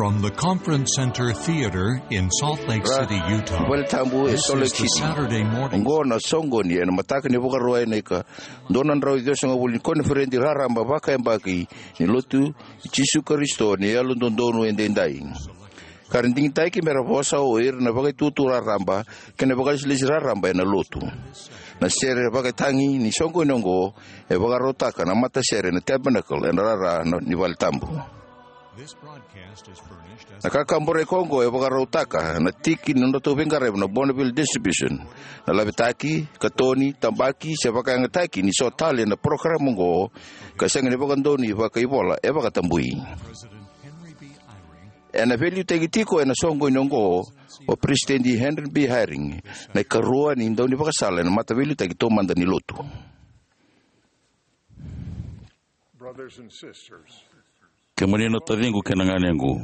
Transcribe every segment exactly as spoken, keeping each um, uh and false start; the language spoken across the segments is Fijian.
From the Conference Center Theater in Salt Lake City, Utah, vale tabu e Salt Lake City. Oqo na soqoni ena mataka ni Vakarauwai na ika dua na drau ciwasagavulu ni koniferedi raraba vakayabaki ni Lotu i Jisu Karisito ni Yalododonu Edaidai. Ka ra digitaki me ra vosa o ira na vakaitutu raraba kei na vakalesilesi raraba ena Lotu. Na sere vakatagi ni soqoni oqo e vakarautaka na matasere na Tabernacle ena rara ni vale tabu. Na kakaburaki oqo e vakarautaka na tiki ni nodratou veiqaravi na Bonneville Distribution. Na lavetaki, katoni, tabaki se vakayagataki ni so tale na parokaramu oqo ka sega ni vakadonui vakaivola e vakatabui. Ena veiliutaki tiko ena soqoni oqo o Peresitedi Henry B. Eyring, na ikarua ni daunivakasala ena mataveiliutaki taumada ni Lotu. Kemuni na taciqu kei na ganequ,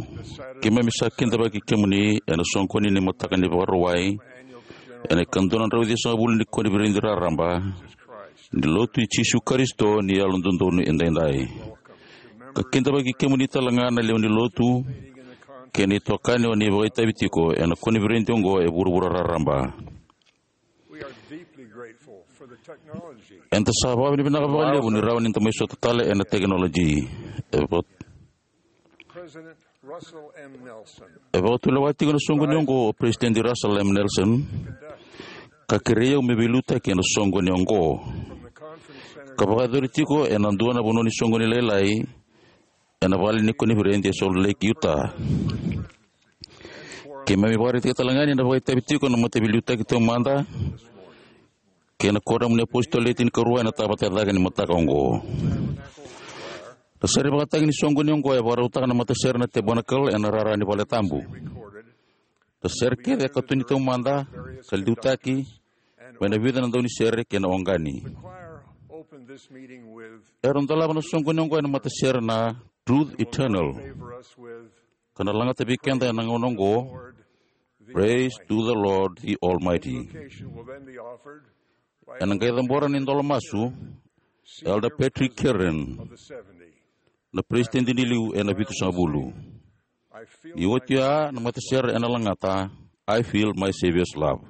keimami sa kidavaki kemuni ena soqoni ni mataka ni Vakarauwai ena ikadua na drau ciwasagavulu ni koniferedi raraba ni Lotu i Jisu Karisito ni Yalododonu Edaidai. Ka kidavaki kemuni talega na lewe ni Lotu kei na itokani o ni vakaitavi tiko ena koniferedi oqo e vuravura raraba. Eda sa vakavinavinaka vakalevu ni rawa ni da mai sota tale ena tekinoloji. E va- E vakatulewa tiko na soqoni oqo o Peresitedi Russell M. Nelson, ka kerei au me veiliutaki ena soqoni oqo, ka vakayacori tiko ena dua na vanua ni soqoni lailai ena vale ni koniferedi e Salt Lake, Utah. Keimami vakaraitaka talega ni na vakaitavi tiko na mataveiliutaki taumada kei na Kuoramu ni Apositolo Le Tinikarua ena tavata e cake ni mataka oqo. Na sere vakatagi ni soqoni oqo e vakarautaka na matasere na Tabernacle ena rara ni vale tabu. Na sere kece e katoni taumada ka liutaki mai na vica na daunisere kei na oqani. Era dolava na soqoni oqo ena matasere na Truth Eternal, ka na lagata vei keda ena gauna oqo, Praise to the Lord the Almighty. Ena qai cabora na idolo masu Elder Patrick Kieran, na peresitedi ni liu ena Vitusagavulu. Ni oti oya na matasere ena lagata I Feel My Savior's Love.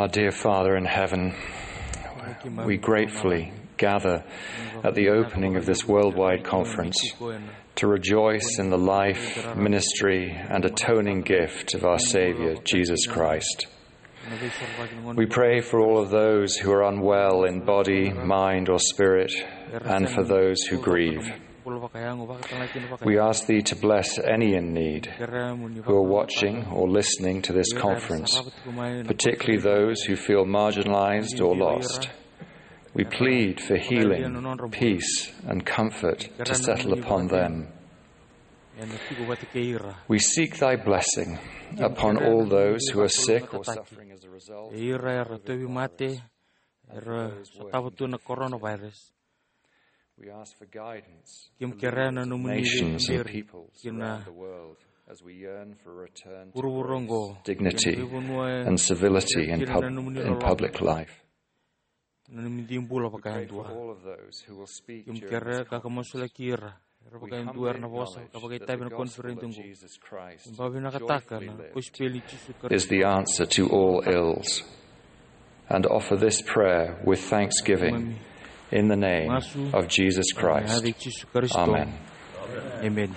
Our dear Father in heaven, we gratefully gather at the opening of this worldwide conference to rejoice in the life, ministry, and atoning gift of our Savior, Jesus Christ. We pray for all of those who are unwell in body, mind, or spirit, and for those who grieve. We ask thee to bless any in need who are watching or listening to this conference, particularly those who feel marginalized or lost. We plead for healing, peace, and comfort to settle upon them. We seek thy blessing upon all those who are sick or suffering as a result. Era tauvi mate, era sotava tu na coronavirus. We ask for guidance from the leaders of nations and peoples around the world as we yearn for a return to dignity and civility in, pub- in public life. Na nomuni bula vakayadua. Kemu kere ka ka masulaki ira era vakayadua era na vosa ka vakaitavi na koniferedi oqo. Ba vinakataka na kosipeli ni Jisu Karisito is the answer to all ills. And offer this prayer with thanksgiving in the name of Jesus Christ. Amen. Amen.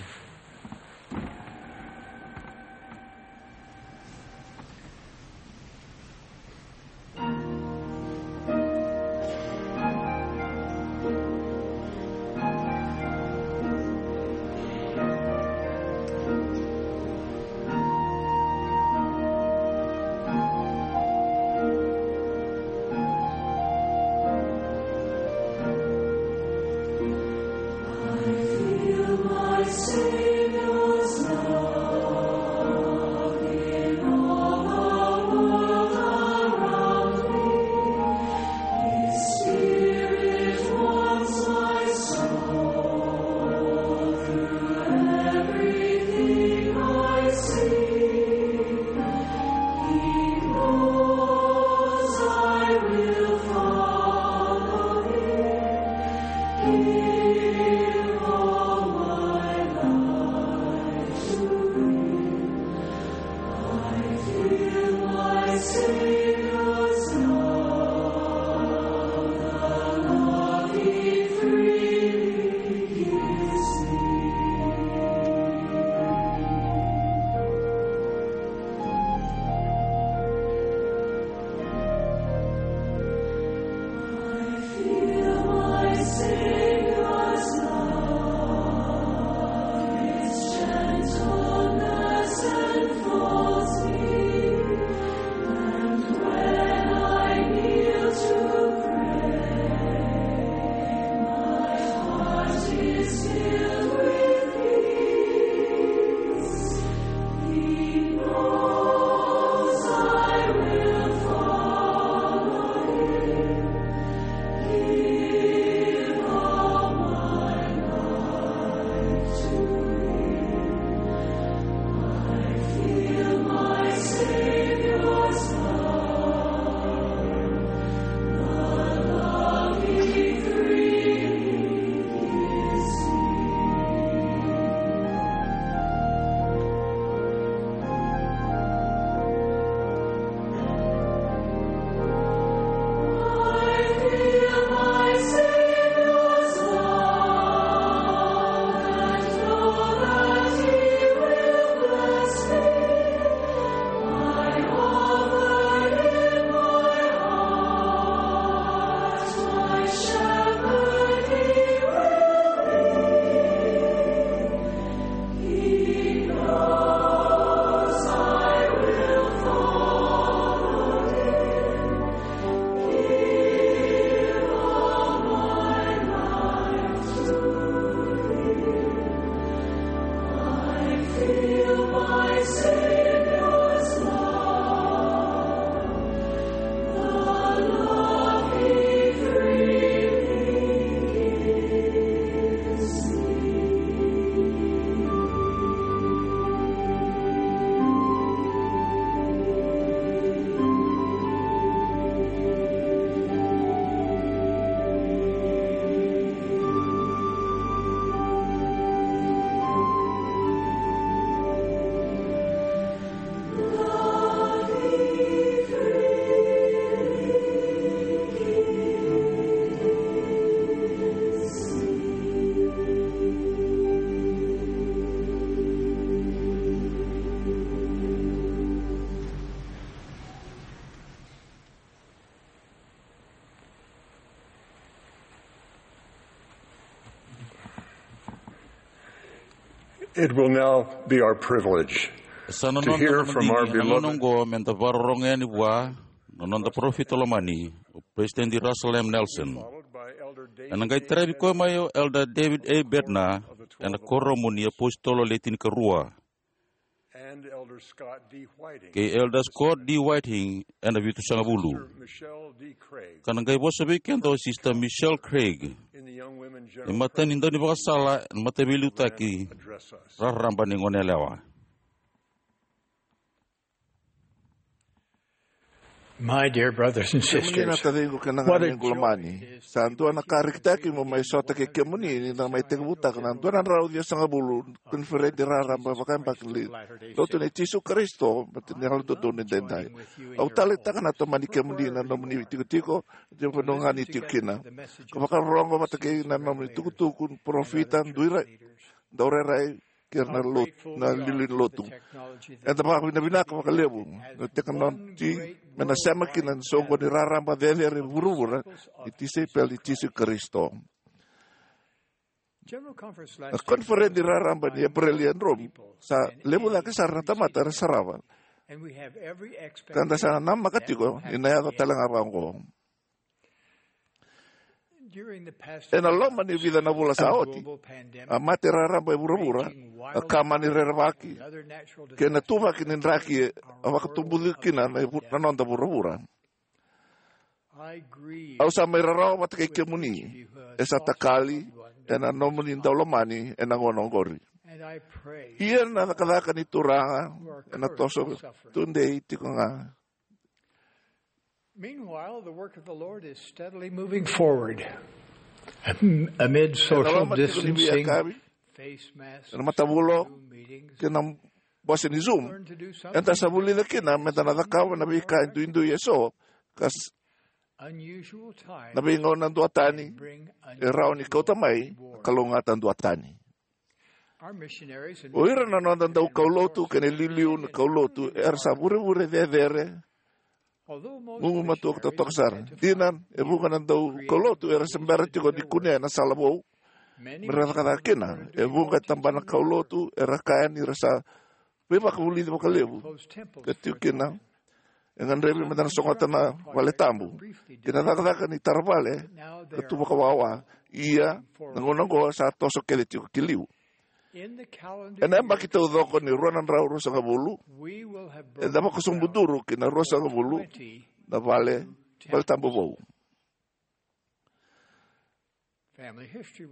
It will now be our privilege Sa na to noda hear na from our madigi ena gauna beloved oqo me da vakarorogo yani vua na noda parofita lomani, o President Russell M. Nelson. Followed by Elder Ena David qai A. taravi koya mai o Elder David A. Bednar ena Kuoramu ni iApositolo Le Tinikarua, and Elder Scott D. Whiting, kei Elder Scott D. Whiting ena Vitusagavulu. Sister Michelle D. Craig, Ka na qai vosa vei keda o Sister Michelle Craig, in the Young Women e General matani Presbytery, daunivakasala ena Mataveiliutaki address us. Raraba ni Goneyalewa. My dear brothers and Kemuni na sisters, taciqu kei na what a ganequ joy lomani, it is sa dua na ka rekitaki mo mai sota kei kemuni ni da mai tekivutaka na dua na drau ciwasagavulu koniferedi raraba vakayabaki ni Lotu nei Jisu Karisito ni Yalododonu Edaidai. Au taleitaka na tomani kemuni na nomuni itikotiko, e vanua ga ni tiko kina, ka vakarorogo vata kei na nomuni tukutuku ni parofita, dui ra-, daurairai, kei ira na lot-, na liuliu ni lotu. Eda vakavinavinaka vakalevu na tekinoloji me na sema kina na soqoni raraba cecere e vuravura ni tisaipeli i Jisu Karisito. General Conference Na last year koniferedi raraba ni Epereli e Rome sa levu cake sara na tamata era sarava, and we have every ka da sa expectation namaka that tiko will ni na yaco happen tale again. Ga vaqo. During the past Ena few loma ni months, vica na vula sa a oti, global pandemic a mate raraba e vuravura raging a wild ka mani fire rerevaki and other natural kei na disasters tuvaki ni draki a vakatubuci kina na, na noda vuravura. I grieve Au sa mai rarawa vata kei kemuni e sa takali ena nomuni daulomani ena gauna oqori. And I pray Ia na cakacaka ni Turaga ena toso tudei tiko ga. Meanwhile, the work of the Lord is steadily moving forward. Am-, amid social distancing, face masks, Zoom meetings, ena matavulo kei na bose ni Zoom, eda sa vulica kina me da na cakava na veika e duidui eso, ka s-, unusual time na veigauna duatani, bring e rawa ni kauta mai a kalougata duatani. Our missionaries and O ira na noda daukaulotu kei na iliuliu ni kaulotu era sa vurevure cecere, although most gugumatua missionaries totoka sara. Dina, e vuqa na daukaulotu era se bera tiko ni kunea na sala vou me ra cakacaka kina. E vuqa e tabana kaulotu era kaya ni ra sa veivakavulici vakalevu ka tiko kina. E gadrevi me da na sogota na vale tabu kei na cakacaka ni tara vale ka tu vakawawa. Ia, na gauna oqo sa toso kece tiko ki liu. Ena yabaki taucoko ni rua na drau ruasagavulu, eda vakasobuduru ki na ruasagavulu na vale, vale tabu vou.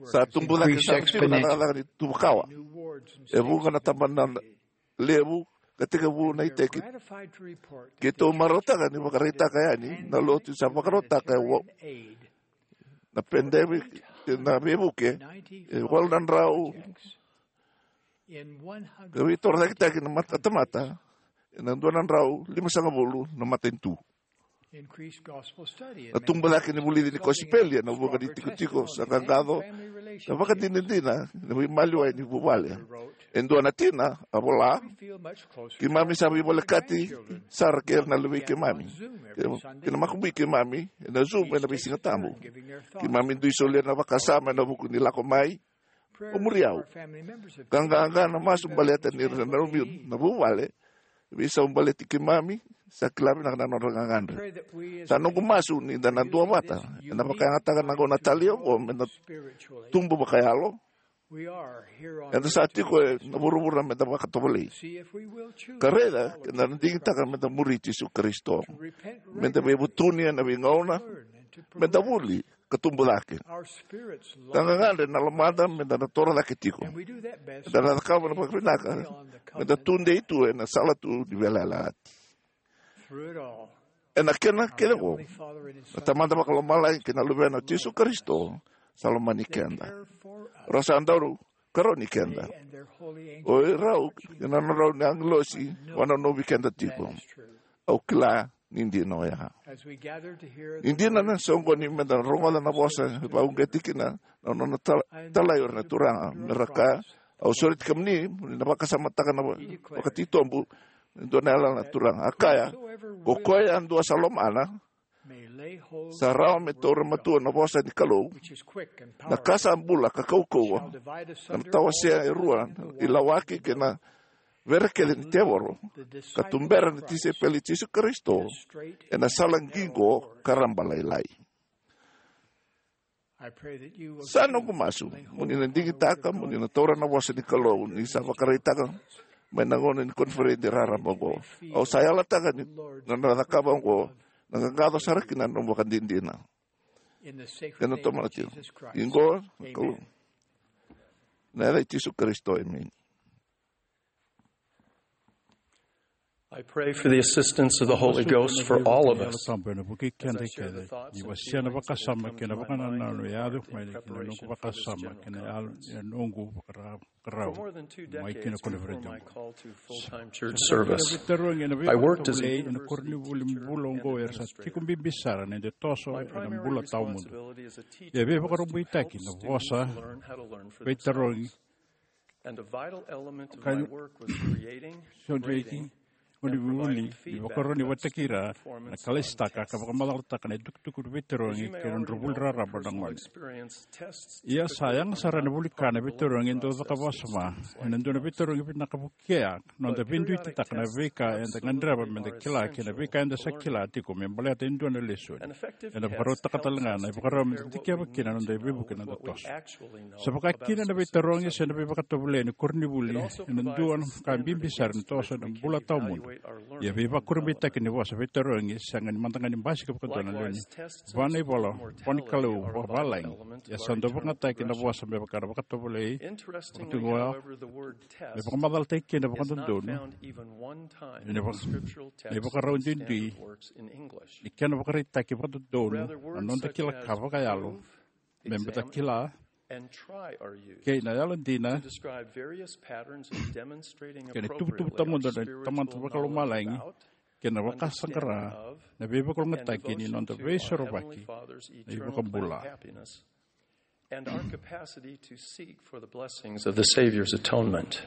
Sa tubu cake sara tiko na cakacaka ni tuvakawa. E vuqa na tabana levu ka tekivu na iteki. Keitou marautaka ni vakaraitaka yani na lotu sa vakarautaka e wa-, na pandemic, na veivuke e walu na drau ka veitorocaketaki na mata-, tamata ena dua na drau limasagavulu na matanitu. Na tubu cake ni vulici ni kosipeli ena vuqa ni tikotiko sa qaqaco na vakadinadina na veimaliwai ni vuvale. E dua na tina a vola: Keimami sa veivolekati sara kei ira na luvei keimami kei na makubui keimami ena Zoom ena veisiga tabu. Keimami dui solia na vakasama ena vuku ni lako mai o muri au. Ka qaqa na masu baleta ni ra nanumi na vuvale, veisau baleti keimami, sa kila vinaka na nodra gagadre. Sa noqu masu ni da na duavata ena vakayagataka na gauna talei oqo me da tubu vakayalo. Eda sa tiko ena vuravura me da vakatovolei ka raica ke da na digitaka me da muri Jisu Karisito, me da veivutuni ena veigauna, me da vuli ka tubu cake. Ka gagadre na lomada me da na toro cake tiko. Eda na cakava na vakavinaka me da tudei tu ena sala tu ni veiyalayalati. Ena kena kece oqo, na Tamada Vakalomalagi kei na Luvena o Jisu Karisito sa lomani keda. Ra sa dau karoni keda. O irau kei na nodrau na agilosi vakanonovi keda tiko. Au kila ni dina oya. Ni dina na soqoni me da rogoca na vosa e vakauqeti kina na nona tala-, talai o ira na Turaga me ra kaya: Au sureti kemuni mo ni na vakasamataka na va-, vakatitobu e dua na yalayala na Turaga. A kaya: Ko koya yadua sa lomana, Sa rawa me taura matua na vosa ni Kalou, na ka sa bula ka kaukauwa, ka na tawasea e rua na ilawaki kei na vere kece ni tevoro, ka tubera na tisaipeli i Jisu Karisito ena sala qiqo ka rabalailai. Sa noqu masu mo ni na digitaka mo ni na taura na vosa ni Kalou ni sa vakaraitaka mai na gauna ni koniferedi raraba oqo. Au sa yalataka ni na nona cakava oqo na qaqaco sara kina na nomu vakadinadina. Ena tomana tiko. Iqo na Kalou. Na yaca i Jisu Karisito, emeni. I pray for the assistance of the Holy Ghost for all of us. Tabu ena vuki keda kece ni wasea na vakasama kei na vakanananu e yaco mai kina noqu vakasama kei na yalo e noqu vakarau mai kina koniferedi. Full-time church service. I worked as a university teacher ena koronivuli bula oqo era sa tiko bibi sara na ida toso ena bula tawamudu. E veivakarabuitaki na vosa veitarogi. And a vital element of my work was creating, grading, and providing feedback that inform and inform tactics. Koni vuli ni vakarau ni vataki ira na kalaisitaka ka vakamacalataka na itukutuku ni veitarogi kei na nodra vuli raraba na gone. Ia sa yaga sara ena vuli ka na veitarogi e dau caka vakasama ena dua na veitarogi vinaka vukea, noda veiduititaka na veika eda gadreva meda kila kei na veika eda sa kila tiko me baleta e dua na lesoni. Ena vakarautaka tale ga na ivakarau meda dikeva kina na noda veivuke na noda toso. Sa vaka kina na veitarogi se na veivakatovolei ni koronivuli ena dua na ka bibi sara ni toso ena bula tawamudu. Ia veivakurabuitaki ni vosa veitarogi sega ni mada ga ni basika vakadua na lewe ni va na ivola, vo ni Kalou vakavalagi. Ia sa dau vakayagataki na vosa me vaka na vakatovolei, vakatugua, me vakamacalataki kina vakadodonu ena ivakarau duidui ni kena vakaraitaki vakadodonu na noda kila ka vakayalo me beta kila kei na yalodina kei na tuvatuva tawamudu na Tamada Vakalomalagi kei na vakasaqara na veivakalougatataki ni noda veisorovaki na iVakabula. And our capacity to seek for the blessings of the Savior's atonement.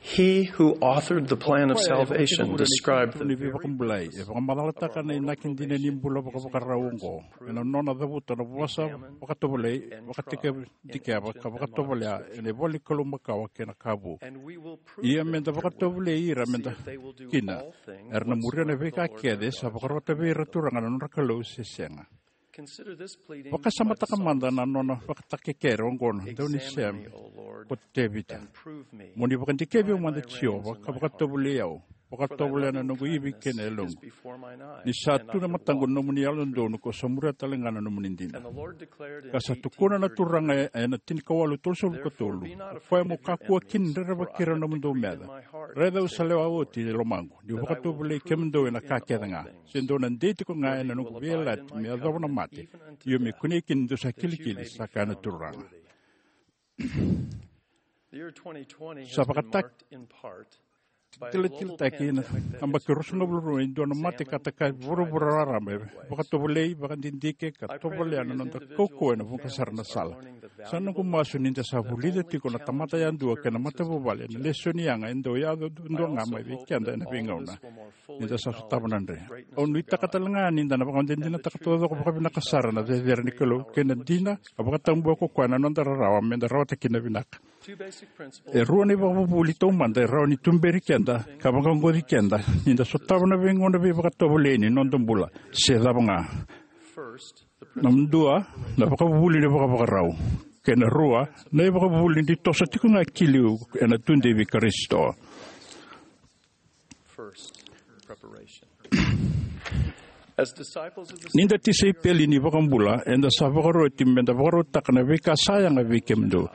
He who authored the plan of salvation described the very purpose of the Lord. E vakamacalataka na inaki dina ni bula vakavakarau oqo ena nona cavuta na vosa vakatovolei, vakadikeva ka vakatovolea ena ivola ni Kalou makawa kei na ka vu. Ia meda vakatovolei ira meda kina era na muria na veika kece sa vakarota vei ira na Turaga na nodra Kalou se sega. Vakasamataka mada na nona vakatakekere oqo na daunisema ko Tevita. Mo ni vakadikevi au mada Jiova ka vakatovolei au, vakatovolea na noqu ivi kei na yaloqu. Ni sa tu na mataqu na nomuni yalododonu, kau sa muria tale ga na nomuni dina. Ka sa tukuna na Turaga ena tinikawalu tolusagavulu ka tolu, o koya mo kakua kina ni rerevaki ira na nomudou meca. Raica au sa lewa oti e lomaqu, niu vakatovolei kemudou ena ka kece ga. Se dou na dei tiko ga ena noqu veiyalayalati me yacova na mate, io me kunei kina ni dou sa kilikili, sa kaya na Turaga. Sa vakatakilakilataki na yabaki ruasagavulu rua e dua na mate ka taka e vuravura raraba, e vakatovolei, vakadidike ka tovolea na noda kaukauwa ena vuqa sara na sala. Sa noqu masu ni da sa vulica tiko na tamata yadua kei na matavuvale na lesoni yaga e dau yaco duadua ga mai vei keda ena veigauna ni da sa sotava na dre. Au nuitaka tale ga ni da na vakadinadinataka taucoko vakavinaka sara na cecere ni Kalou kei na dina ka vakatabua ko koya na noda rarawa me da rawata kina vinaka. E rua na ivakavuvuli taumada e rawa ni tuberi keda ka vaqaqaci keda ni da sotava na veigauna veivakatovolei ni noda bula se cava ga. Na dua, na vakavuvuli ni vakavakarau. Kei na rua, na ivakavuvuli ni toso tiko ga ki liu ena tudei vei Karisito. Ni da tisaipeli ni iVakabula, eda sa vakaroti me da vakarautaka na veika sa yaga vei kemudou,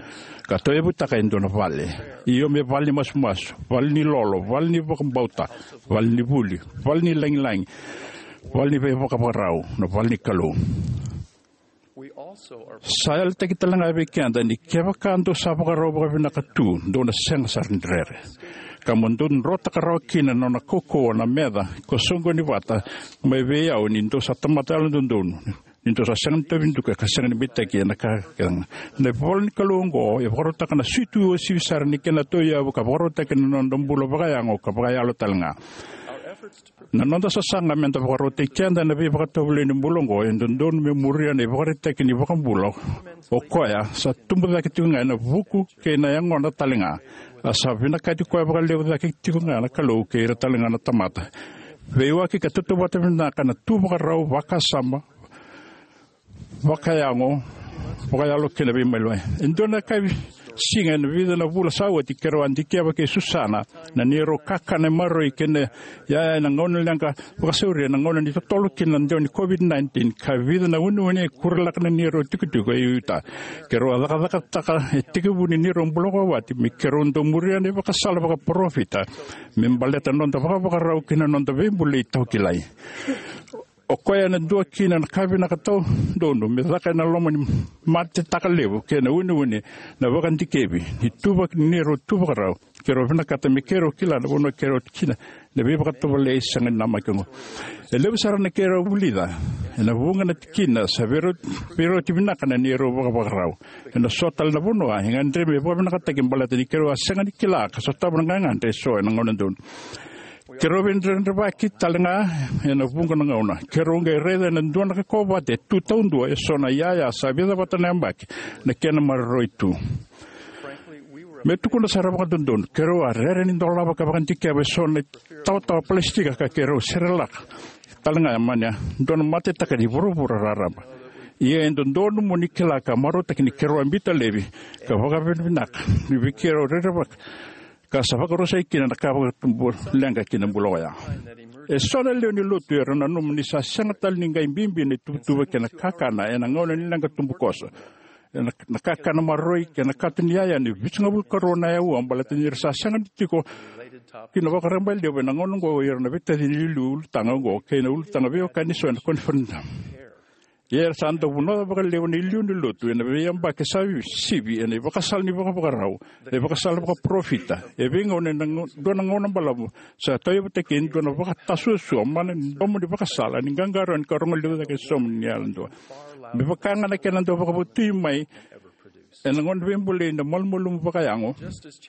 ka tauyavutaka e dua na vale. Io, me vale ni masumasu, vale ni lolo, vale ni vakabauta, vale ni vuli, vale ni lagilagi, vale ni veivakavakarau, na vale ni Kalou. Sa yalataki tale ga vei keda ni kevaka dou sa vakarau vakavinaka tu, dou na sega sara ni rere. Ka mo dou drotaka rawa kina na nona kaukauwa na meca ko soqoni vata mai vei au, ni dou sa tamata yalododonu, ni dou sa sega ni tauvi duka ka sega ni beitaki ena ka kece ga. Na ivola ni Kalou oqo e vakarautaka na suitu uasivi sara ni kena tauyavu ka vakarautaki na noda bula vakayago ka vakayalo tale ga. Na noda sasaga me da vakarautaki keda ena veivakatovolei ni bula oqo e dodonu me muria na ivakaraitaki ni iVakabula, o koya sa tubu cake tiko ga ena vuku kei na yagona talega. A sa vinakati koya vakalevu cake tiko ga na Kalou kei ira talega na tamata. Veiwaki ka tautauvata vinaka na tu vakarau, vakasama, vakayago, vakayalo kei na veimaliwai. E dua na yakavi siga ena vica na vula sa oti, keirau a dikeva kei Susana na neirau kakana e maroroi kei na yaya ena gauna leqa vakasauri ena gauna ni totolo kina na dewa ni COVID nineteen, ka vica na uneune e kuralaka na neirau tikotiko e Utah. Keirau a cakacakataka e tekivu ni neirau bula vakawati me keirau dau muria na ivakasala vakaparofita me baleta na noda vakavakarau kei na noda veibulai tawa kilai. O koya ena dua kina na ka vinaka taudonu me caka ena loma ni matetaka levu kei na uneune, na vakadikevi ni tuvaki ni neirau tu vakarau. Keirau vinakata me keirau kila na vanua keirau tu kina, na veivakatovolei sega ni namaki oqo. E levu sara na keirau vulica ena vuqa na tikina sa veirau-, veirauti vinaka na neirau vakavakarau. Ena so tale na vanua e gadrevi me vakavinakataki baleta ni keirau a sega ni kila ka sotava na gagadre eso ena gauna donu. Keirau veidredrevaki talega ena vuqa na gauna. Keirau qai raica ena dua na kaukauwa vata e tu taudua eso na iyaya sa vica vata na yabaki na kena maroroi tu. Me tukuna sara vakadodonu, keirau a rere ni dolava ka vakadikeva eso na tawatawa palasitika ka keirau serelaka talega mai na dua na matetaka ni vuravura raraba. Ia e dodonu mo ni kila ka marautaki ni keirau a biuta laivi ka vakavinavinaka ni vei keirau rerevaka ka sa vakarusai kina na ka vakatubu leqa ki na bula oya. Eso na lewe ni lotu era nanuma ni sa sega tale ni qai bibi na ituvatuva kei na kakana ena gauna ni leqa tubukoso. Ena, na kakana maroroi kei na kato ni yaya ni vitusagavulu karua na aua baleta ni ra sa sega ni tiko kina vakarabaileva ena gauna oqo o ira na veitacini iliuliu ulutaga oqo kei na ulutaga veiwekani eso ena koniferedi. Ia era sa dau vunaca vakalevu na iliuliu ni lotu ena veiyabaki sa sivi ena ivakasala ni vakavakarau, na ivakasala vakaparofita. E veigauna ena gau-, dua na gauna balavu sa tauyavutaki e dua na vakatasuasua mana ni domo ni vakasala ni qaqarauni ka rogo levu cake e sobu ni yalodua. Me vaka ga na kena dau vakavotui mai ena gauna veibulai na malumalumu vakayago,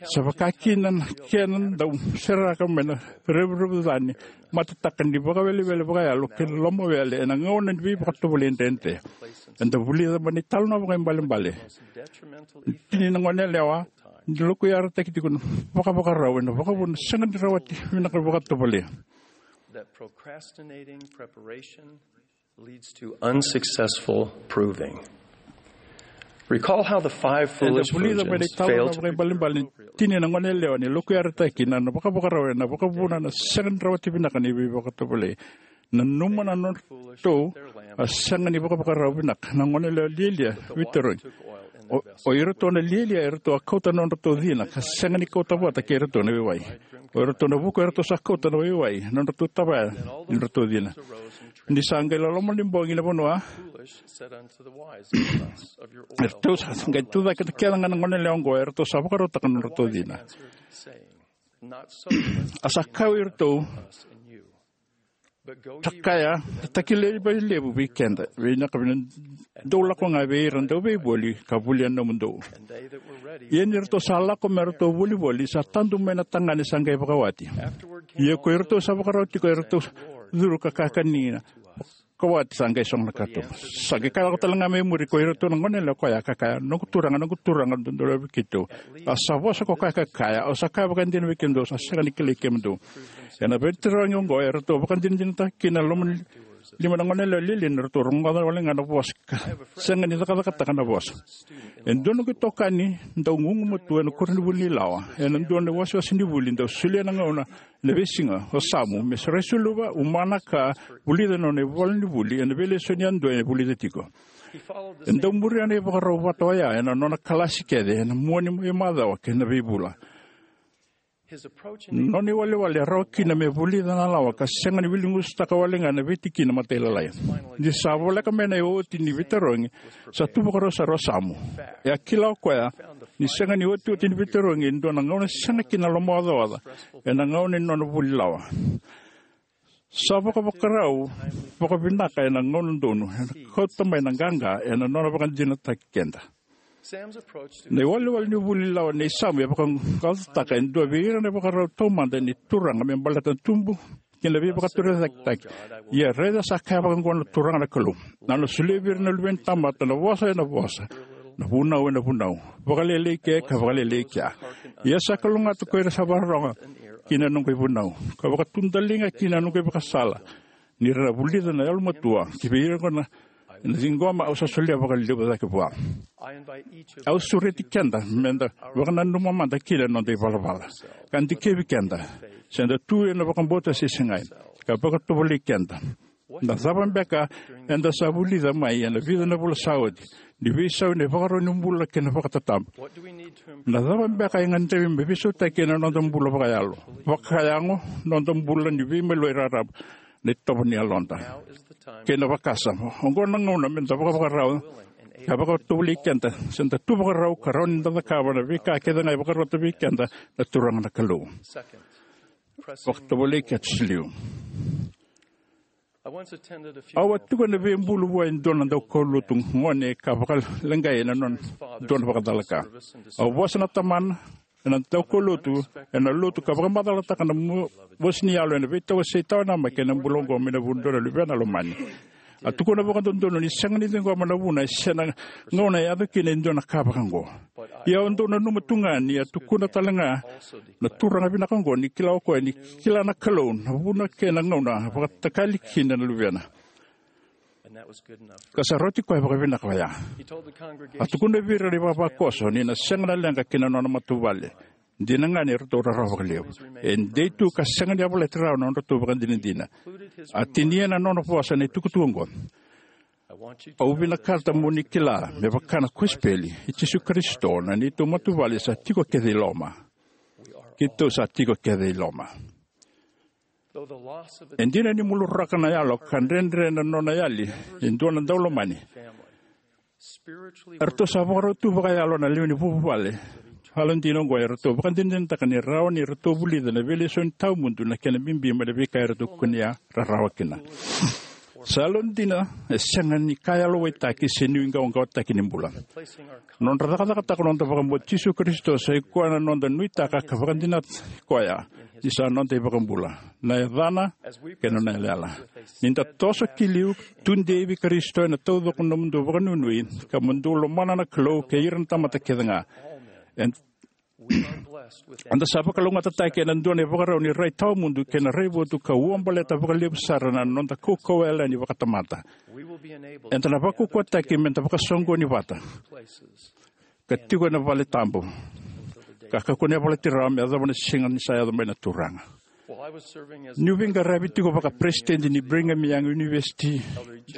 sa vaka kina na kena dau seraka mai na revurevu ca ni matetaka ni vakawelewele vakayalo kei na lomawele ena gauna ni veivakatovolei dredre. Eda vulica mai na italanoa vakaibalebale ni tini na goneyalewa ni lokuyarataki tiko na vakavakarau ena vakavuna sega ni rawati vinaka vakatovolei. That procrastinating preparation leads to unsuccessful proving. Recall how the five Eda foolish vulica mai na virgins italanoa failed to vakaibalebale ni tini na goneyalewa ni lokuyarataki na, na vakavakarau ena vakavuna na sega ni rawati vinaka ni veivakatovolei. Nanuma na nodratou a sega ni vakavakarau vinaka na goneyalewa lialia veitarogi. O, o iratou na lialia eratou a kauta na nodratou cina ka sega ni kauta vata kei iratou na waiwai. O iratou na vuku eratou sa kauta na waiwai na nodratou tavaya ni nodratou cina. Ni sa qai loloma ni bogi na vanua, eratou sa qai tucake kece ga na goneyalewa oqo, eratou sa vakarautaka na nodratou cina. A sa kaya vei iratou, "Sa kaya na takilai levu vei keda, vei na ka vei na dou lako ga vei ira dau veivoli ka volia na nomudou." Ia ni ratou sa lako me ratou volivoli, sa tadu mai na tagane sa qai vakawati. Ia ko iratou sa vakarau tiko, eratou curu ka kakani kina. Vakawati sa qai sogo na katuba. Sa qai kaya lako tale ga mai muri ko iratou na goneyalewa koya ka kaya, "Noqu turaga, noqu turaga, dodonu vei keitou." A sa vosa ko koya ka kaya, "Au sa kaya vakaidina vei kemudou, sa sega ni kilai kemudou." Ena veitarogi oqo eratou vakadinadinataka kina na loma ni lima na goneyalewa lialia ni ratou rogoca wale ga na vosa ka sega ni cakacakataka na vosa. E dua noqu itokani dau gugumatua ena koronivuli ni lawa ena dua na iwasewase ni vuli dau solia na gauna ena veisiga o Samu me rai suluva, umana ka vulica na nona ivola ni vuli ena veilesoni yadua e vulica tiko. E dau muria na ivakarau vata oya ena nona kalasi kece ena mua ni veimacawa kei na veivula. Nona iwalewale e rawa kina me vulica na lawa ka sega ni viligusutaka wale ga na veitikina matailalai. Ni sa voleka mai na iotioti ni veitarogi, sa tu vakarau sara o Samu. E a kila o koya ni sega ni iotioti ni veitarogi e dua na gauna sega kina na lomaocaoca ena gauna ni nona vuli lawa. Sa vakavakarau vakavinaka ena gauna donu ena kauta mai na qaqa ena nona vakadinadinataki keda. Na iwalewale ni vuli lawa nei Samu e vakaqaqacotaka e dua vei ira na ivakarau taumada ni Turaga me baleta na tubu kei na veivakatorocaketaki. Ia raica sa kaya vaka oqo na Turaga na Kalou: Au na solia vei ira na luve ni tamata na vosa ena vosa, na vunau ena vunau, vakalailai ke ka vakalailai kea. Ia sa kalougata ko ira sa vakarorogo ki na noqu ivunau, ka vakatudaliga ki na noqu ivakasala, ni ra na vulica na yalomatua ki vei ira oqo na na ciqoma au sa solia vakalevu cake vua. Au sureti keda meda vakananuma mada kina na noda ivalavala, ka dikevi keda se da tu ena vakabauta se segai, ka vakatovolei keda. Na cava beka eda sa vulica mai ena vica na vula sa oti ni veisau ena ivakarau ni bula kei na vakatatabu? Na cava beka e gadrevi me veisautaki ena noda bula vakayalo, vakayago, noda bula ni veimaliwai raraba, na itovo ni yaloda, kei na vakasama? Oqo na gauna meda vakavakarau ka vakatovolei keda, se da tu vakarau ka rawa ni da cakava na veika kece ga e vakarota vei keda na Turaga na Kalou. Vakatovolei keda siliu. Au a tiko ena veibulu vua e dua na daukaulotu gone ka vakaleqai ena nona dua na vakacalaka. Au vosa na tamana ena daukaulotu ena lotu ka vakamacalataka na mo- vosa ni yalo ena veitawasei tawanamaki ena bula oqo mai na vu ni dua na luvena lomani. A tukuna vakadodonu ni sega ni ciqoma na vuna se na gauna e yaco kina e dua na ka vaka oqo. Ia au dau nanuma tu ga ni a tukuna tale ga na turaga vinaka oqo ni kila o koya ni kila na Kalou na vuna kei na gauna vakatakali kina na luvena, ka sa rauti koya vakavinaka oya. A tukuna vei ira na ivavakoso ni na sega na leqa ki na nona matavuvale. Dina ga ni ratou rarawa vakalevu, e dei tu ka sega ni yavalati rawa na nodratou vakadinadina. A tinia na nona vosa na itukutuku oqo: Au vinakata mo ni kila me vaka na kosipeli i Jisu Karisito, na neitou matavuvale sa tiko kece i loma. Keitou sa tiko kece i loma. E dina ni muluraka na yalo ka dredre na nona yali e dua na daulomani, eratou sa vakarau tu vakayalo na lewe ni vuvale. Yalodina oqo eratou vakadinadinataka ni rawa ni ratou vulica na veilesoni tawamudu na kena bibi mai na veika eratou kunea rarawa kina. Sa yalodina e sega ni ka yalowaitaki se nuiqawaqawataki ni bula. Nodra cakacakataka noda vakabauti Jisu Karisito sa i koya na noda nuitaka ka vakadinata koya ni sa noda iVakabula, na yacana kei na nona yalayala. Ni da toso ki liu, tudei vei Karisito ena taucoko na nomudou vakanuinui, ka mo dou lomana na Kalou kei ira na tamata kece ga. Ed- eda sa vakalougatataki ena dua na ivakarau ni rai tawamudu kei na raivotu ka ua baleta vakalevu sara na noda kaukauwa yalani vakatamata. Eda na vakaukauwataki meda vakasoqoni vata ka tiko ena vale tabu, ka kakua ni yavalati rawa me yacova na siga ni sa yaco mai na Turaga. Niu veiqaravi tiko vakaperesitedi ni Brigham Young University,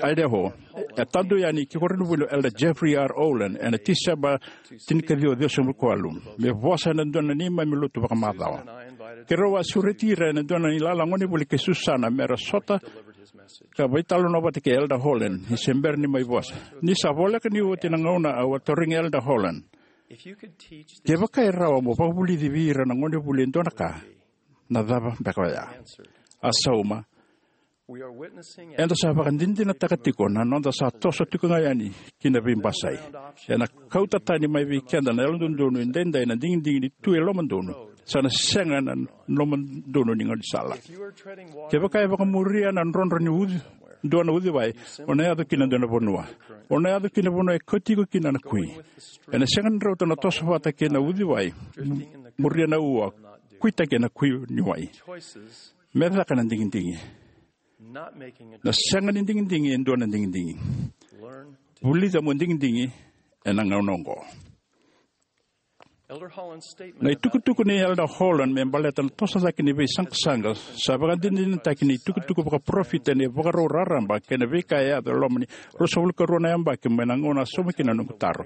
Idaho, e tadu yani ki koronivuli o Elder Jeffrey R. Holland ena Tiseba tinikaciwa ciwasagavulu ka walu me vosa ena dua na neimami lotu vakamacawa. Keirau a sureti ira ena dua na ilala gonevuli kei Susana mera sota ka veitalanoa vata kei Elder Holland ni se bera ni mai vosa. Ni sa voleka ni oti na gauna, au a tarogi Elder Holland: Kevaka e rawa mo vakavulici vei ira na gonevuli e dua na ka, na cava beka oya? A sauma: Eda sa vakadinadinataka tiko na noda sa toso tiko ga yani ki na veibasai. Ena kauta tani mai vei keda na yalododonu edaidai na digidigi ni tu e lomadonu, sa na sega na lomadonu ni gaunisala. Kevaka e vakamuria na drodro ni uci, dua na uciwai, o na yaco ki na dua na vanua. O na yaco ki na vanua e kauti iko kina na kui. Ena sega ni rauta na toso vata kei na uciwai, mu- muria na ua, kuitaki ena kui ni wai. Me caka na digidigi. Na sega ni digidigi e dua na digidigi. Vulica mo digidigi ena gauna oqo. Na itukutuku nei Elder Holland me baleta na toso cake ni veisaqasaqa sa vakadinadinataki ni itukutuku vakaparofita ni vakarau raraba kei na veika e yaco e loma ni ruasagavulu ka rua na yabaki mai na gauna a sauma kina na noqu taro.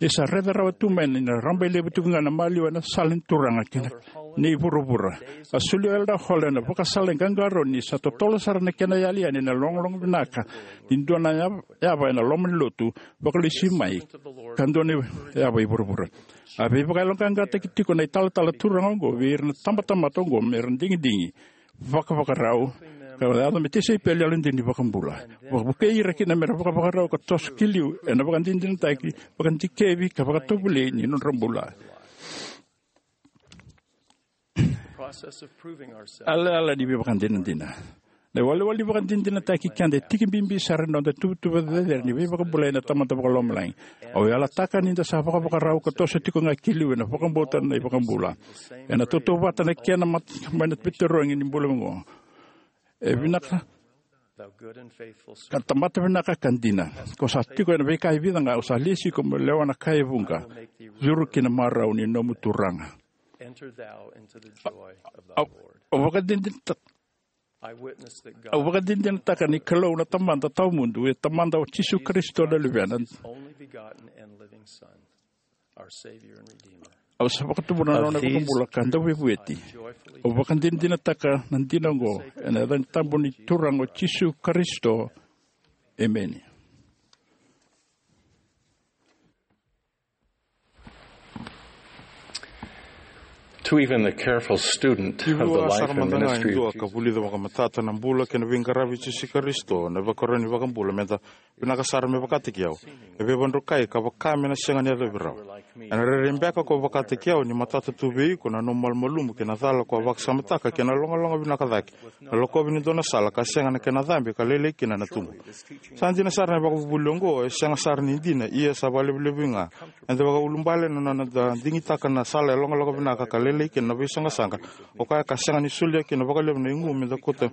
Ni sa raica rawa tu mai ni na rabailevu tiko ga na maliwa ena sala ni Turaga kei na nei vuravura, a solia o Elder Holland na vakasala e qaqarauni sa totolo sara na kena yali yani na logologo vinaka ni dua na yav- yava ena loma ni lotu vakalesui mai ka dua na yava i vuravura. A veivakayaloqaqataki tiko na italatala turaga oqo vei ira na tabatamata oqo mera digidigi, vakavakarau, ka yaco me tisaipeli yalodina ni iVakabula. Vakavukei ira kina mera vakavakarau ka toso ki liu ena vakadinadinataki, vakadikevi ka vakatovolei ni nodra bula. Yalayala ni veivakadinadina. Na iwalewale ni vakadinadinataki keda e tiki bibi sara ni noda tuvatuva cecere ni veivakabulai na Tamada Vakalomalagi. Au yalataka ni da sa vakavakarau ka toso tiko ga ki liu ena vakabauta na iVakabula. Ena tautauvata na kena mat-, mai na veitarogi ni bula oqo. E vinaka, ka tamata vinaka ka dina. Ko sa tiko ena veika e vica ga, au sa lesi iko mo lewa na ka e vuqa. Curu ki na marau ni nomu Turaga. Au, au vakadinadinata-, au vakadinadinataka ni Kalou na Tamada tawamudu, e Tamada o Jisu Karisito na Luvena. Au sa vakatubu na nona iVakabula ka Dauveivueti. Au vakadinadinataka na dina oqo ena yaca ni tabu ni Turaga o Jisu Karisito. Emeni. To even the careful student of the life and ministry of Jesus. Ka vulica vakamatata na bula kei na veiqaravi i Jisu Karisito, na ivakarau ni iVakabula, meda vinaka sara me vakataki au. E veivadrukai ka vaka me na sega ni yacovi rawa. Ena rairai beka ko vakataki au ni matata tu vei iko na nomu malumalumu kei na cala ko a vakasamataka kei na logaloga vinaka cake, na lakovi ni dua na sala ka sega na kena cabe ka lailai kina na tubu. Sa dina sara na ivakavuvuli oqo, e sega sara ni dina, ia sa vakalevulevu ga. Eda vakaulubale na noda digitaka na sala e logaloga vinaka ka lailai kina na veisaqasaqa. O koya ka sega ni solia kina vakalevu na igu meda kauta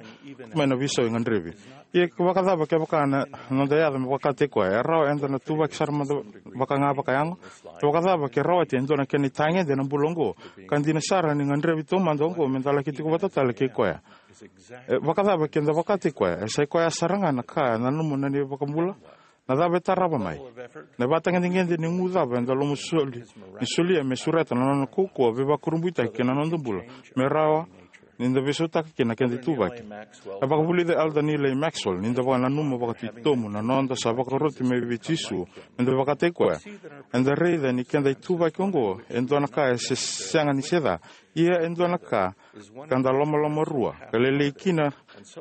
mai na veisau e gadrevi. Ia ke vakacava kevaka na noda yaco me vakataki koya? E rawa eda na tuvaki sara mada vaka ga vakayago? E vakacava ke rawati e dua na kena itagede ena bula oqo, ka dina sara ni gadrevi taumada oqo meda laki tiko vata tale kei koya? E vakacava keda vakataki koya? E sa i koya sara ga na ka e nanuma na neivakabula. Na cava e tarava mai? Na ivakatagedegede ni gu cava eda lomani soli, ni solia me sureta na nona kaukauwa veivakurabuitaki kei na noda bula, me rawa ni da veisautaka kina na keda ituvaki. E vakavulica Elder Neal A. Maxwell, ni da vakananuma vakatitobu na noda sa vakaroti mai vei Jisu meda vakataki koya, eda raica ni keda ituvaki oqo e dua na ka e se-, sega ni se ca, ia e dua na ka ka da lomalomarua, ka lailai kina,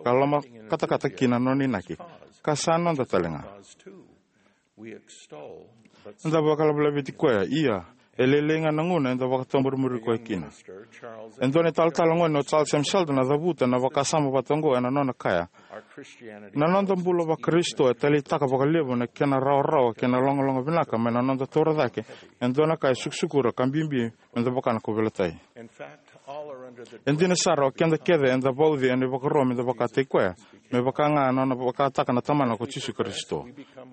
ka lomakatakata kina na nona inaki, ka sa noda tale ga. Eda vakalavelaveti koya, ia e lailai ga na gauna eda vakatoborimuri koya kina. E dua na italatala gone o Charles M. Sheldon a cavuta na vakasama vata oqo ena nona kaya: Na noda bula vaKarisito e taleitaka vakalevu na kena rawarawa kei na logaloga vinaka mai na noda taura cake e dua na ka e sukusukura ka bibi meda vaka na kauveilatai. E dina sara, o keda kece eda vauci ena ivakaro meda vakataki koya, me vaka ga na nona vakataka na Tamana ko Jisu Karisito.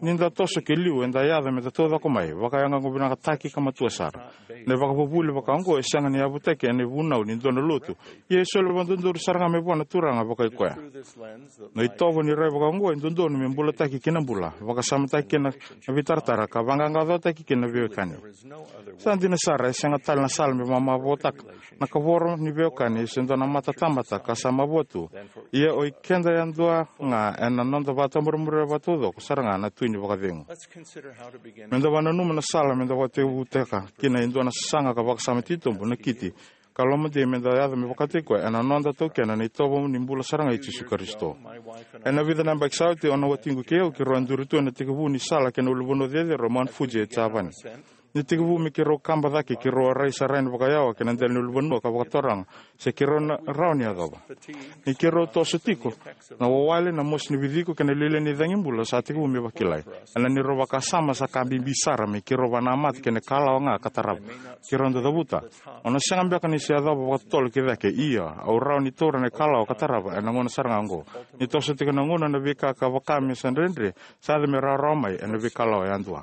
Ni da toso ki liu, eda yaco meda taucoko mai, vakayagoyago vinakataki ka matua sara. Na ivakavuvuli vaka oqo e sega ni yavutaki ena ivunau ni dua na lotu, ia e soli vakadodonu sara ga mai vua na Turaga vakai koya. Na itovo ni rai vaka oqo e dodonu me bulataki ki na bula, vakasamataki kina na veitaratara, ka vaqaqacotaki kina na veiwekani. Sa dina sara, e sega tale na sala me mamavoataka na kavoro ni veiwekani se dua na matatamata ka sa mavoa tu. Ia o ikeda yadua ga ena noda vakatoborimuri vakataucoko sara ga na Tui ni Vakacegu. Meda vakananuma na sala meda vakatekivutaka kina e dua na sasaga ka vakasama titobu, na kiti, ka lomadei meda yaco me vakataki koya ena noda taukena na itovo ni bula sara ga i Jisu Karisito. Ena vica na yabaki sa oti, o na watiqu kei au keirau a duri tu ena tekivu ni sala ki na ulunivanua cecere o Mount Fuji e Japani. Ni tekivu me keirau kaba cake, keirau a rai sara yani vakayawa ki na dela ni ulunivanua ka vakataroga se keirau na rawa ni yacova. Ni keirau toso tiko, na wawale, na mosi ni viciko kei na lialia ni cagibula sa tekivu me vakilai. Ena neirau vakasama sa ka bibi sara me keirau vakanamata kei na ikalawa ga ka tarava. Keirau dau cavuta, o na sega beka ni se yacova vakatotolo ki cake, ia au rawa ni taura na ikalawa ka tarava ena gauna sara ga oqo. Ni toso tiko na gauna, na veika ka vaka me sa dredre sa yaco me rawarawa mai ena veikalawa yadua.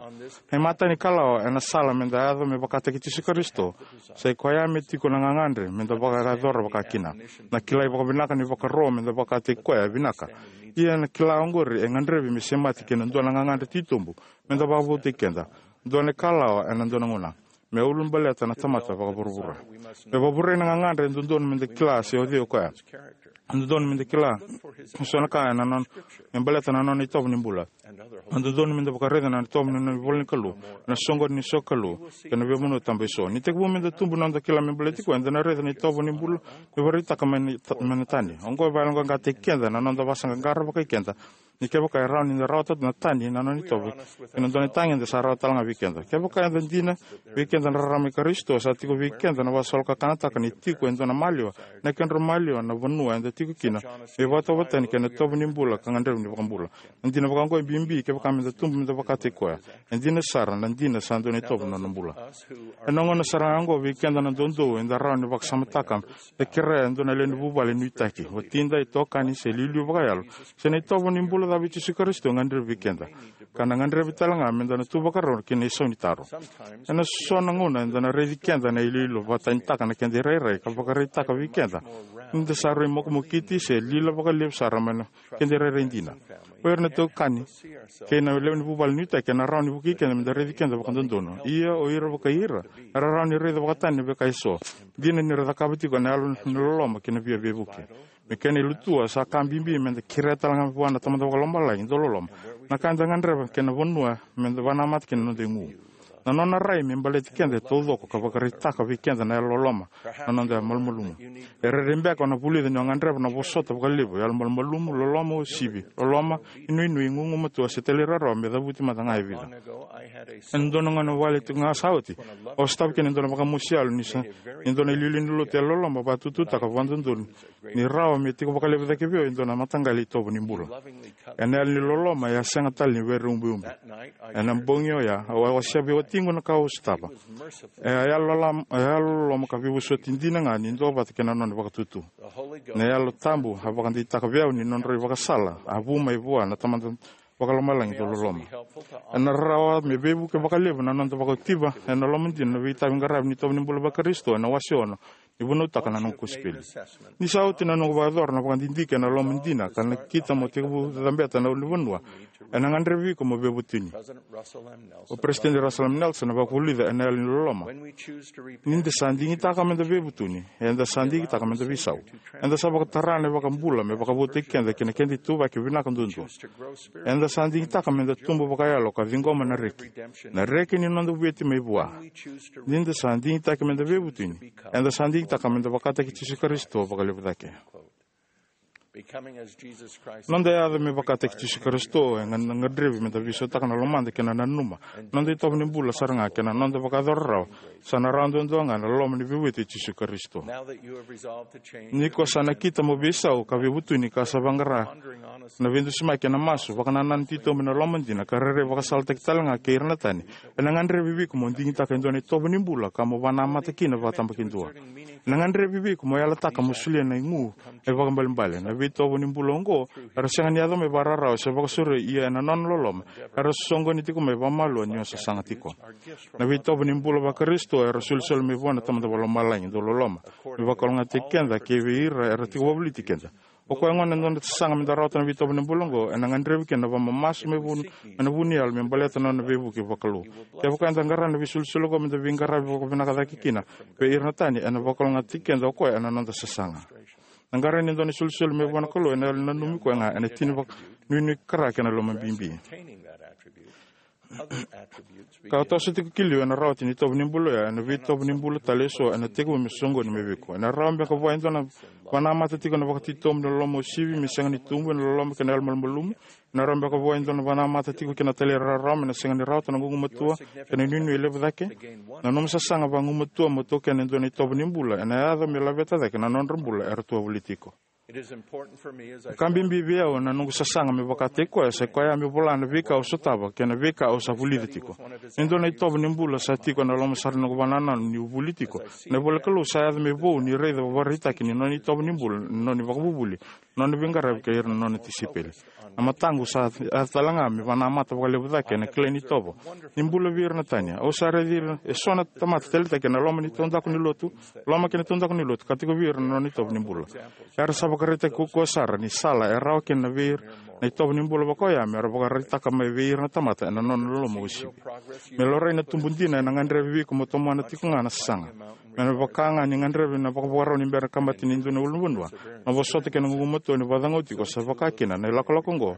Na imatai ni kalawa ena sala meda yaco me vakataki Jisu Karisito, sa i koya me tiko na gagadre meda vakayacora vaka kina. Na kilai vakavinaka ni vakaro meda vakataki koya e vinaka. Ia na kila oqori e gadrevi me semati kei na dua na gagadre titobu meda vakavoutaki keda. Dua na ikalawa ena dua na gauna me ulabaleta na tamata vakavuravura. Me vakavurai na gagadre, e dodonu meda kila se o cei o koya. E dodonu meda kila eso na ka ena nona, me baleta na nona itovo ni bula. E dodonu meda vakaraica na itovo ni nona ivola ni Kalou, na soqoni ni sokalou kei na veivanua taba eso. Ni tekivu meda tubu na noda kila me baleti koya, eda na raica na itovo ni bula me vakaraitaka mai na ta-, mai na tani. Oqo e vakayaloqaqataki keda na noda vakasaqaqara vakai keda Ni kevaka e rawa ni da rawata na tani na nona itovo ki na dua na itagede, sa rawa tale ga vei keda. Kevaka eda dina vei keda na rarama i Karisito, sa tiko vei keda na vakasolokakanataka ni tiko e dua na maliwa, na kedrau maliwa, na vanua eda tiko kina, me vakatauvatani kei na itovo ni bula ka gadreva ni vakabula. Na dina vakaoqo e bibi kevaka meda tubu meda vakataki koya. E dina sara, na dina sa dua na itovo na nona bula. Ena gauna sara ga oqo, vei keda na doudou, eda rawa ni vakasamataka, da kerea e dua na lewe ni vuvale nuitaki, watida, itokani se iliuliu vakayalo, se na itovo ni bula cava i Jisu Karisito e gadrevi vei keda. Ka na gadrevi tale ga meda na tu vakarau ki na isau ni taro. Ena so na gauna eda na raici keda na iloilo, vakatanitaka na keda irairai ka vakaraitaka vei keda ni da sa rui mokomokiti se lila vakalevu sara mai na keda irairai dina. O ira na itokani kei na lewe ni vuvale nuitaki ena rawa ni vukei keda meda raici keda vakadodonu. Ia o ira vakai ira era rawa ni raica vakatani na veika eso. Dina ni ra cakava tiko ena yalo ni loloma kei na via veivuke. Me kena ilutua, sa ka bibi meda kerea tale ga vua na Tamada Vakalomalagi dauloloma na ka eda gadreva kei na vanua meda vanamata kina na noda igu. Na nona rai me baleti keda e taucoko ka vakaraitaka vei keda na yalololoma, na noda malumalumu. E rairai beka o na vulica ni o gadreva na vosota vakalevu, yalomalumalumu, loloma uasivi, loloma, inuinui, gugumatua se talairawarawa me cavuti mada ga e vica. Ena dua na gauna wale tiko ga sa oti, au sotava kina e dua na vakamosi yalo ni sa, ni dua na iliuliu ni lotu yalololoma vakatututaka vakadodonu ni rawa me tiko vakalevu cake vei au e dua na mataqali itovo ni bula. Ena yalo ni loloma, e a sega tale ni veiubiubi. Ena bogi oya, au a wasea vei watiqu na ka au sotava. E a yalo loloma, e a yalo loloma ka veivosoti dina ga ni duavata kei na nona vakatutu. Na Yalo Tabu a vakadeitaka vei au ni nodrau ivakasala a vu mai vua na Tamada Vakalomalagi dauloloma. Ena rawa me veivuke vakalevu na noda vakautiva ena loma dina na veitavi qaravi ni itovo ni bula vaKarisito ena wase ono ni Vunautaka na Noqu Kosipeli. Ni sa oti na noqu vakayacora na vakadidike ena loma dina ka nakita mo tekivu cabeta na ulunivanua, ena gadrevi iko mo veivutuni. O Peresitedi Russell M. Nelson a vakavulica ena yalo ni loloma: Ni da sa digitaka meda veivutuni, eda sa digitaka meda veisau. Eda sa vakatara na iVakabula me vakavoutaki keda ki na keda ituvaki vinaka duadua. Eda sa digitaka meda tubu vakayalo ka ciqoma na reki, na reki ni noda vueti mai vua. Ni da sa digitaki meda veivutuni, eda sa digitaka meda vakataki Jisu Karisito vakalevu cake. Noda yaco me vakataki Jisu Karisito e ga-, na gadrevi meda veisautaka na lomada kei na nanuma noda itovo ni bula sara ga kei na noda vakayacora rawa. Sa na rawa duadua ga na loloma ni veivueti i Jisu Karisito. Ni ko sa nakita mo veisau ka veivutuni ka sa vaqara na veidusimaki ena masu, vakanananu titobu ena loma dina, ka rairai vakasalataki tale ga kei ira na tani, ena gadrevi vei iko mo digitaka e dua na itovo ni bula ka mo vanamata kina vakatabakidua. Ena gadrevi vei iko mo yalataka mo solia na igu e vakaibalebale. Na veitovo ni bula oqo era sega ni yaco mai vakararawa se vakasauri, ia ena nona loloma era soqoni tiko mai vakamalua ni o sasaga tiko. Na veitovo ni bula vaKarisito era solisoli mai vua na Tamada Vakalomalagi dauloloma me vakalougatataki keda kei vei ira era tiko vakavoliti keda. O koya gona e dua na sasaga meda rawata na veitovo ni bula oqo, ena gadrevi kina na vakamamasu mai vu-, mai na vu ni yalo me baleta na nona veivuke vakalou. Kevaka eda qara na veisolisoli oqo meda veiqaravi vakavinaka cake kina vei ira na tani, ena vakalougatataki keda o koya ena noda sasaga. Na qara ni dua na isolisoli mai vua na Kalou ena yalo ni nanumi koya ga ena tini vakanuinui, kara kei na loma bibi. Ka toso tiko ki liu ena rawati ni itovo ni bula oya, ena veitovo ni bula tale eso ena tekivu me soqoni mai vei iko. Ena rawa beka vua e dua na vanamata tiko ena vakatitobu ni loloma uasivi me sega ni tubu ena loloma kei na yalo malumalumu. Ena rawa beka vua e dua na vanamata tiko kina talairawarawa me na sega ni rawata na gugumatua kei na inuinui e levu cake. Na nomu sasaga vagumatua mo taukena e dua na itovo ni bula ena yaco me laveta cake na nodra bula era tu wavoliti iko. Ka bibi vei au ena noqu sasaga me vakataki koya, sa i koya me vola na veika au sotava kei na veika au sa vulica tiko. E dua na itovo ni bula sa tiko ena loma sara ni noqu vakanananu niu vuli tiko na ivolanikalou sa yaco me vou ni raica vakaraitaki ni nona itovo ni bula, ni nona ivakavuvuli, nona veiqaravi kei ira na nona tisaipeli. Na mataqu sa yaco tale ga me vakanamata vakalevu cake ena kilai ni itovo ni bula vei ira na tani. Au sa raici ira eso na tamata taleitaki ena loma ni taudaku ni lotu, loma kei na taudaku ni lotu ka tiko vei ira na nona itovo ni bula. Era sa vakaraitaki kaukauwa sara ni sala e rawa kina vei ira na itovo ni bula vakaoya me ra vakaraitaka mai vei ira na tamata ena nona loloma uasivi. Me laurai na tubu dina ena gadrevi vei iko mo tomana tiko ga na sasaga. Me na vaka ga ni gadrevi na vakavakarau ni bera kabati ni dua na ulunivanua, na vosota kei na gugumatua ni vakacagau tiko, sa vaka kina na ilakolako oqo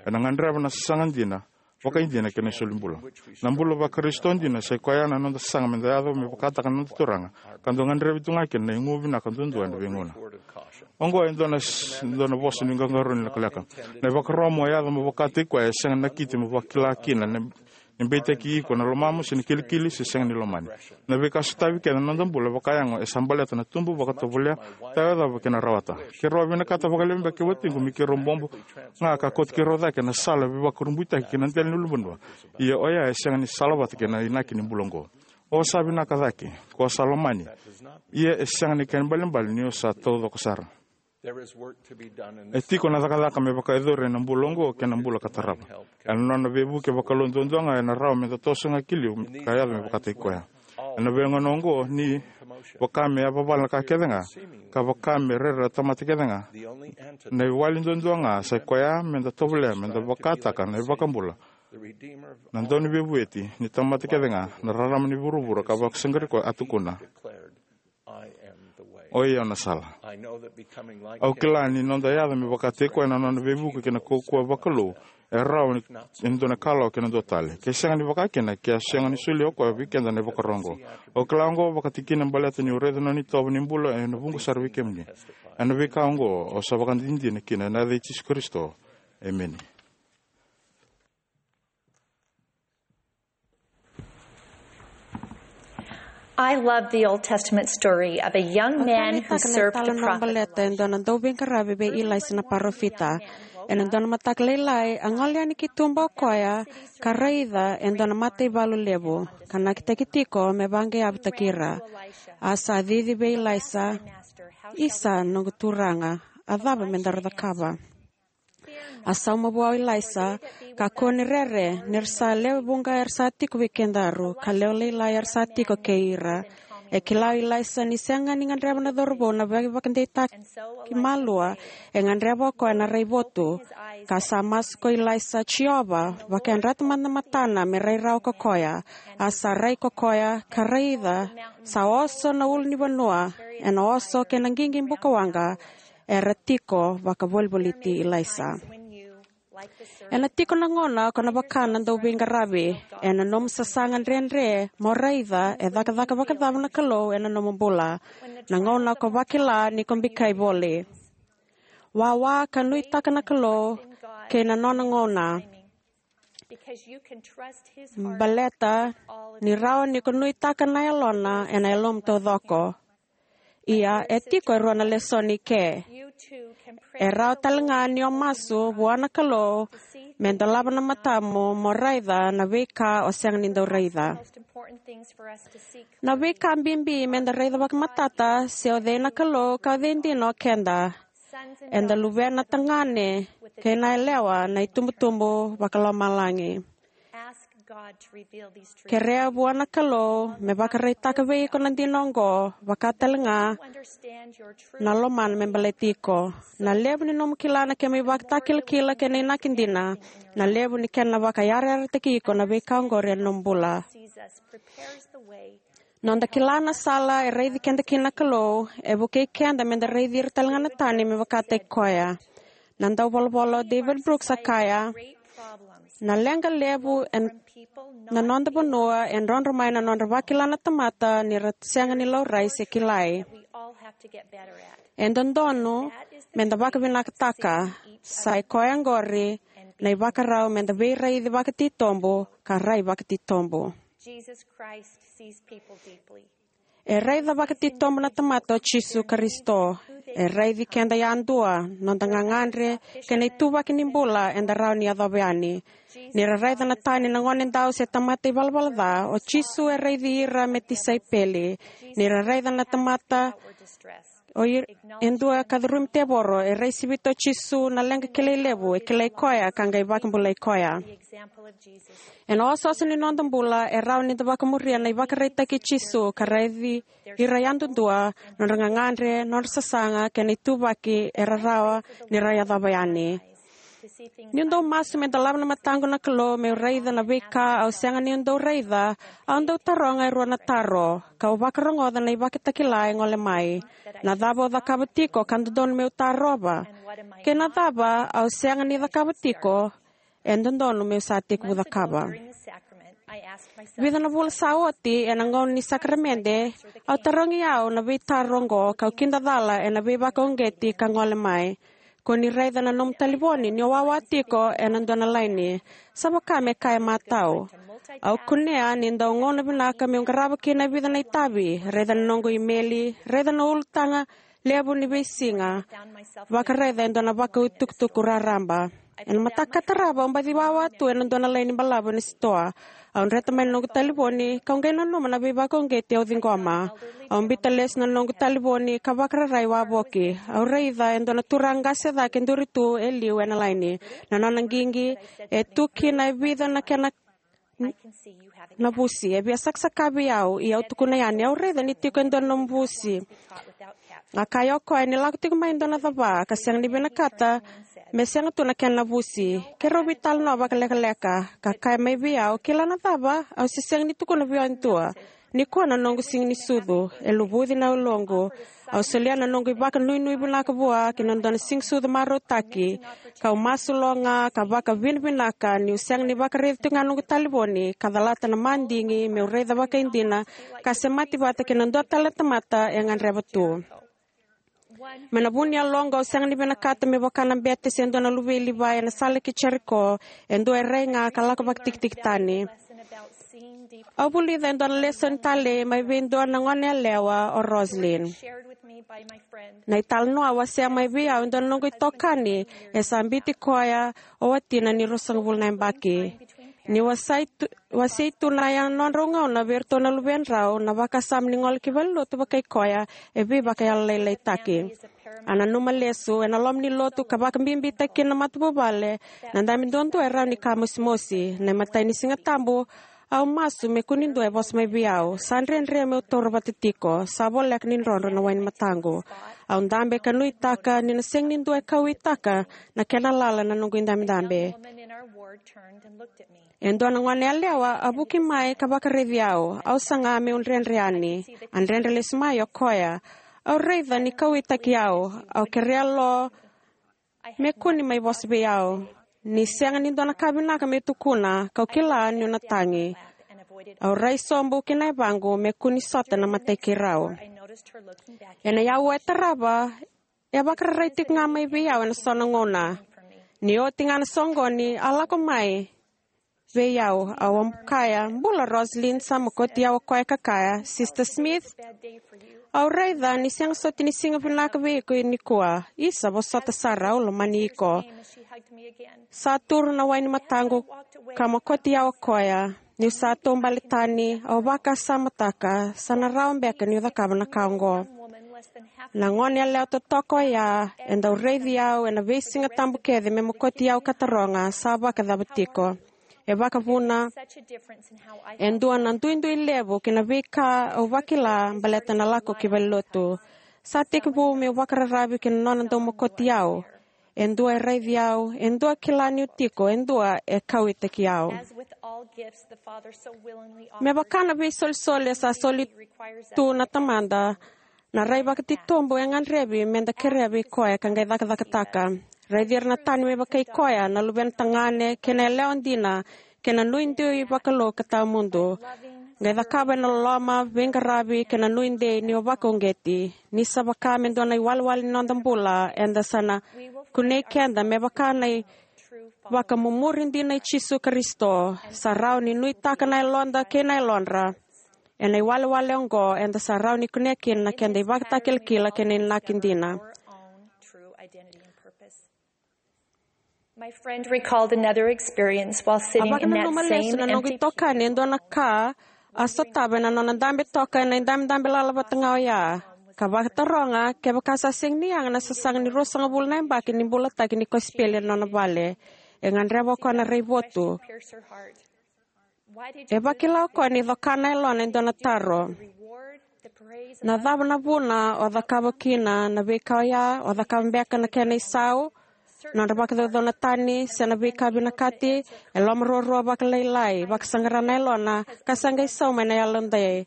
ena gadreva na sasaga dina vakaidina kei na solibula. Na bula vaKarisito dina sa i koya na noda saga me da yaco me vakataka na noda Turaga, ka dau gadrevi tu ga kina na igu vinaka duadua ena veigauna. Oqo e dua na, dua na vosa ni qaqarauni lekaleka. Na ivakaro mo yaco mo vakataki koya e sega ni nakiti mo vakila kina na, ni beitaki iko na lomamu se ni kilikili se sega ni lomani. Na veika sotavi kece na noda bula vakayago e sa baleta na tubu, vakatovolea, tawayacova kei na rawata. Keirau a vinakata vakalevu beka kei watiqu me keirau bobo ga ka kauti keirau cake ena sala veivakurabuitaki ki na dela ni ulunivanua. Ia oya e sega ni salavata kei na inaki ni bula oqo. O sa vinaka cake, ko sa lomani. Ia e sega ni kena ibalebale ni o sa taucoko sara. There is work to be done in E this tiko na cakacaka me vakayacori ena bula oqo kei na bula ka tarava. Ena nona veivuke vakalou duadua ga ena rawa me da toso ga ki liu ka yaco me vakataki koya. Ena veigauna oqo ni vaka me yavavala na ka kece ga, ka vaka me rere na tamata kece ga, na iwali duadua ga sa i koya me da tovolea me da vakataka na iVakabula, na Dauniveivueti ni tamata kece ga, na rarama ni vuravura ka vakasaqarai koya a tukuna. Oi au na sala. Au kila ni noda yaco me vakataki koya na nona veivuke kei na kaukauwa vakalou e rawa ni, e dua na ikalawa kei na dua tale. Ke sega ni vaka kina, ke a sega ni solia o koya vei keda na ivakaro oqo. Au kila oqo vakatikina baleta niu raica na nona itovo ni bula ena vuqa sara vei kemuni. Ena veika oqo au sa vakadinadina kina ena yaca i Jisu Karisito. Emeni. I love the Old Testament story of a young man who served the prophet. Baleta e dua na dauveiqaravi vei Ilaisa na parofita. Ena dua na mataka lailai, a gole yani ki tuba o koya, ka raica e dua na mataivalu levu, ka nakitaki tiko me vaqeavutaki ira. A sa cici vei Ilaisa, "Isa, noqu turaga, a cava me daru cakava?" A sauma vua o Ilaisa, "Kakua ni rere, ni ra sa lewe vuqa era sa tiko vei kedaru, ka lewe lailai era sa tiko kei ira." E kila o Ilaisa ni sega ni gadreva na cauravou na veivakadeitaki malua, e gadreva o koya na raivotu. Ka sa masu ko Ilaisa, "Jiova, vakayadrata mada na matana me rai rawa ko koya." A sa rai ko koya, ka raica, sa oso na ulunivanua, ena oso kei na qiqi bukawaqa, era tiko vakavolivoliti Ilaisa. Ena tiko na gauna ko na vaka na dauveiqaravi, ena nomu sasaga dredre mo raica e cakacaka vakacava na Kalou ena nomu bula. Na gauna ko vakila ni ko bikai voli. Wawa ka nuitaka na Kalou kei na nona gauna. Baleta ni rawa ni ko nuitaka na yalona ena yalomu taucoko. Ia, e tiko e rua na lesoni ke. E rawa tale ga ni o masu vua na Kalou me dolava na matamu mo raica na veika o sega ni dau raica. Na veika bibi me da raica vakamatata se o cei na Kalou ka o cei dina o keda. Eda luvena tagane kei na yalewa na itubutubu vakalomalagi. Kerea vua na Kalou me vakaraitaka vei iko na dina oqo, vaka tale ga na lomana me baleti iko. Na levu ni nomu kila na kemu ivakatakilakila kei na inaki dina, na levu ni kena vakayarayarataki iko na veika oqori ena nomu bula. Noda kila na sala e raici keda kina na Kalou e vukei keda me da raici ira tale ga na tani me vakataki koya. Na dauvolavola o David Brooks a kaya, "Na leqa levu ena noda vanua e drodro mai na nodra vakila na tamata ni ra sega ni laurai se kilai." E dodonu me da vakavinakataka. Sa i koya oqori na ivakarau me da veiraici vakatitobu ka rai vakatitobu. E raica vakatitobu na tamata o Jisu Karisito. E raici keda yadua, noda gagadre kei na ituvaki ni bula eda rawa ni yacova yani. Ni ra raica na tani na gonedau se tamata ivalavala ca, o Jisu e raici ira me tisaipeli. Ni ra raica na tamata o i-, e dua ka curumi tevoro, e rai sivita o Jisu na leqa kilai levu, e kilai koya ka qai vakabulai koya. Ena osooso ni noda bula e rawa ni da vakamuria na ivakaraitaki i Jisu ka raici ira yadudua, nodra gagadre, nodra sasaga kei na ituvaki era rawa ni ra yacova yani. Niu dau masu me dolava na mataqu na Kalou meu raica na veika au sega niu dau raica, au dau taroga e rua na taro, kau vakarogoca na ivakatakila e gole mai. Na cava au cakava tiko ka dodonu meu tarova? Kei na cava au sega ni cakava tiko e dodonu meu sa tekivu cakava. Vica na vula sa oti, ena gauna ni sakaramede, au tarogi au na veitaro oqo, kau kidacala ena veivakauqeti ka gole mai. Ko ni raica na nomu talivoni ni o wawa tiko ena dua na laini. Sa vaka me kaya matau. Au kunea ni dau gauna vinaka meu qarava kina e vica na itavi, raica na noqu imeli, raica na ulutaga levu ni veisiga, vakaraica e dua na vakau itukutuku raraba. Ena mataka ka tarava, au baci wawa tu ena dua na laini balavu ena sitoa. Au dreta mai na noqu talivoni, kau qai nanuma na veivakauqeti au ciqoma. Au biuta lesu na noqu talivoni ka vakararai wavoki. Au raica e dua na turaga qase cake duri tu e liu ena laini. Na nona qiqi e tu kina e vica na kena na vusi. E via sakasaka vei au, ia au tukuna yani, au raica ni tiko e dua na nomu vusi. A kaya o koya ni lako tiko mai e dua na cava ka sega ni vinakata me sega tu na kena vusi. Keirau veitalanoa vakalekaleka, ka kaya mai vei au, kila na cava, au se sega ni tukuna vei au e dua. Nikua na noqu siga ni sucu, e luvuci na yaloqu. Au solia na noqu ivakanuinui vinaka vua ki na dua na siga sucu marautaki. Kau masu lo ga ka vakavinavinaka niu sega ni vakaraica tiko ga noqu talivoni ka calata na madigi meu raica vakaidina ka semati vata kei na dua tale na tamata e gadreva tu. Mai na vu ni yaloqu, au sega ni vinakata me vaka na bete se dua na luvei Livai ena sala ki Jeriko, e dua e rai ga ka lako vakatikitiki tani. Au vulica e dua na lesoni talei mai vei dua na gone yalewa, o Roslyn. Na italanoa a wasea mai vei au e dua na noqu itokani, e sa biuti koya o watina ni ruasagavulu na yabaki. Ni wasei tu, wasei tu na yanodrau gauna vei iratou na luvedrau, na vakasama ni gole ki valenilotu vakai koya e veivakayalolailaitaki. A nanuma lesu ena loma ni lotu ka vakabibitaki kina na matavuvale, na dabe duadua e rawa ni ka mosimosi. Na imatai ni Siga Tabu, au masu me kua ni dua e vosa mai vei au. Sa dredre meu taura vata tiko. Sa voleka ni drodro na wai ni mataqu. Au dabe ka nuitaka ni na sega ni dua e kauwaitaka na kena lala na noqu idabedabe. E dua na gone yalewa a vuki mai ka vakaraici au. Au saga meu dredre yani. A dredre lesu mai o koya. Au raica ni kauwaitaki au. Au kerea lo me kua ni mai vosa vei au. Ni sega ni dua na ka vinaka meu tukuna, kau kila niu na tagi. Au rai sobu ki na yavaqu me kua ni sota na matai keirau. Ena aua e tarava, e vakararai tiko ga mai vei au ena so na gauna. Ni oti ga na soqoni, a lako mai vei au. Au a kaya, "Bula, Roslyn." Sa mokoti au o koya ka kaya, "Sister Smith, au raica ni sega soti ni siga vinaka vei iko nikua." "Isa, vosota sara, au lomani iko." Sa turu na wai ni mataqu ka mokoti au o koya. Niu sa taubale tani, au vakasamataka, sa na rawa beka niu cakava na ka oqo. Na gone yalewa totoka oya e dau raici au ena veisiga tabu kece me mokoti au ka taroga, "Sa vakacava tiko?" E vakavuna e dua na duidui levu ki na veika au vakila baleta na lako ki valenilotu. Sa tekivu meu vakararavi ki na nona dau mokoti au. E dua e raici au, e dua kila niu tiko, e dua e kauwaitaki au. Me vaka na veisolisoli e sa soli tu na Tamada, na rai vakatitobu e gadrevi meda kerea vei koya ka qai cakacakataka. Raici ira na tani me vakai koya, na luvena tagane kei na yalewa dina, kei na nuidui vakalou ka tawamudu. Qai cakava ena loloma, veiqaravi kei na nuidei ni o vakauqeti. Ni sa vaka me dua na iwalewale ni noda bula, eda sa na kunei keda me vaka na ivakamumuri dina i Jisu Karisito. Sa rawa ni nuitaka na yaloda kei na yalodra. Ena iwalewale oqo eda sa rawa ni kunea kina na keda ivakatakilakila kei na inaki dina. My friend recalled another experience while sitting in that same empty pew. A vakananuma lesu na noqu itokani e dua na ka a sotava ena nona dabe toka ena idabedabe lala vata ga oya, ka vakataroga kevaka sa sega ni yaga na sasaga ni ruasagavulu na yabaki ni bulataki ni kosipeli ena nona vale. E gadreva o koya na raivotu. E vakila o koya ni coka na yalona e dua na taro. Na cava na vuna o cakava kina na veika oya? O cakava beka na kena isau, nodra vakacaucauna tani, se na veika vinakati? E lomaruarua vakalailai, vakasaqara na yalona, ka sa qai sauma ena yalodei.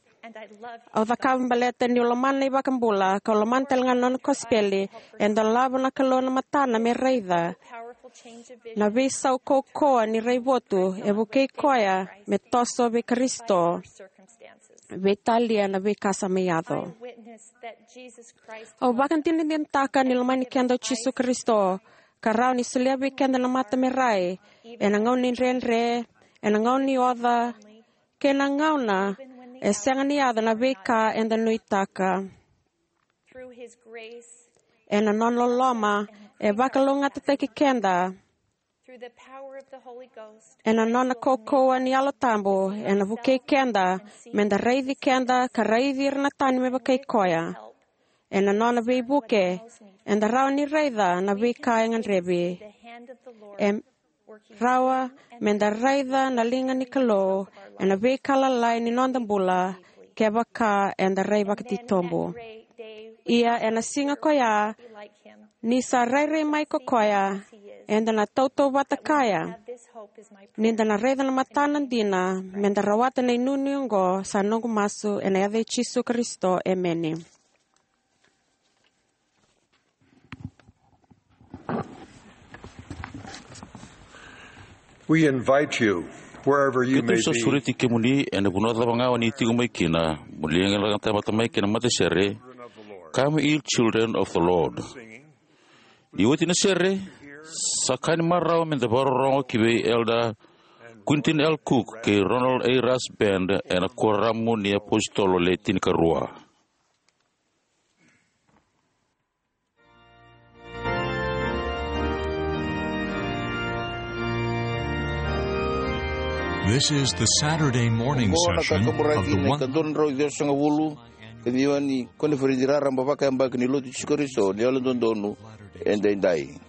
Au cakava baleta niu lomana na iVakabula, kau lomana tale ga na nona kosipeli. E dolava na Kalou na matana me raica na veisau kaukauwa ni raivotu, e vukei koya me toso vei Karisito, veitalia na veika sa mai yaco. Au vakadinadinataka ni lomani keda o Jisu Karisito, ka rawa ni solia vei keda na mata me rai, ena gauna ni dredre, ena gauna ni oca, kei na gauna e sega ni yaco na veika eda nuitaka. Ena nona loloma, e vakalougatataki keda. Ena nona kaukauwa ni Yalo Tabu, ena vukei keda meda raici keda ka raici ira na tani me vakai koya. Ena nona veivuke, eda rawa ni raica na veika e gadrevi. E rawa meda raica na liga ni Kalou ena veika lalai ni noda bula, kevaka eda rai vakatitobu. Ia ena siga koya, ni sa rairai mai ko koya, eda na tautauvata kaya ni da na raica na matana dina, meda rawata na inuinui oqo. Sa noqu masu ena yaca i Jisu Karisito, emeni. We invite you, wherever you may be. Keitou sa sureti kemuni ena vanua cava ga o ni tiko mai kina, mo ni qai lako mai kina na matasere, Come, ye children of the Lord. Ni oti na sere, sa ka ni marau meda vakarorogo ki vei Elder Quentin L. Cook kei Ronald A. Rush Band ena Kuoramu ni iApositolo Le Tinikarua. This is the Saturday morning session of the one. Oqo na ka kaburaki na ikadua na drau ciwasagavulu ka ciwa ni koniferedi raraba vakayabaki ni Lotu i Jisu Karisito ni Yalododonu Edaidai.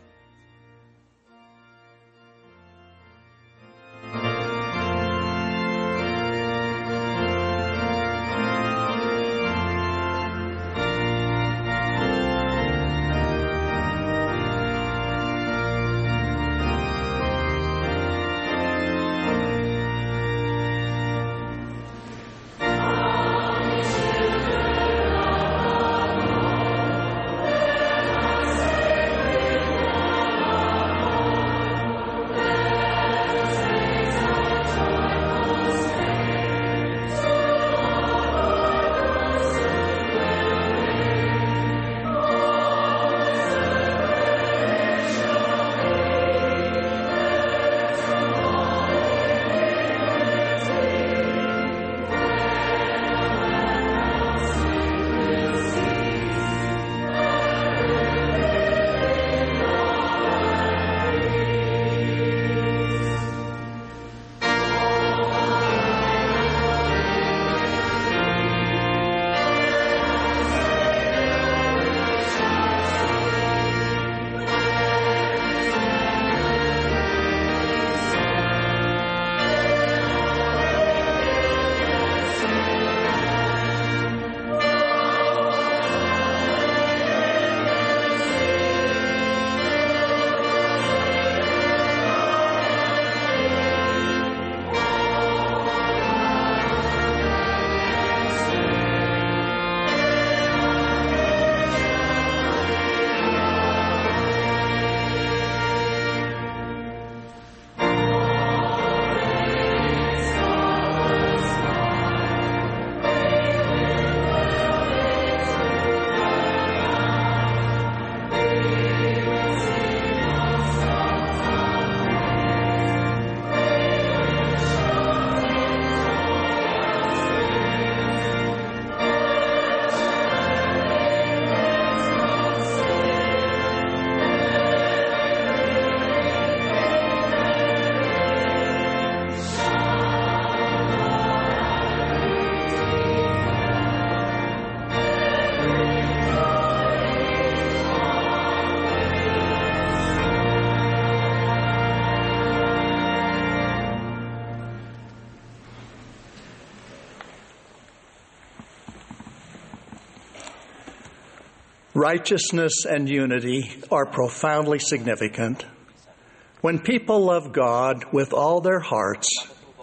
Righteousness and unity are profoundly significant. When people love God with all their hearts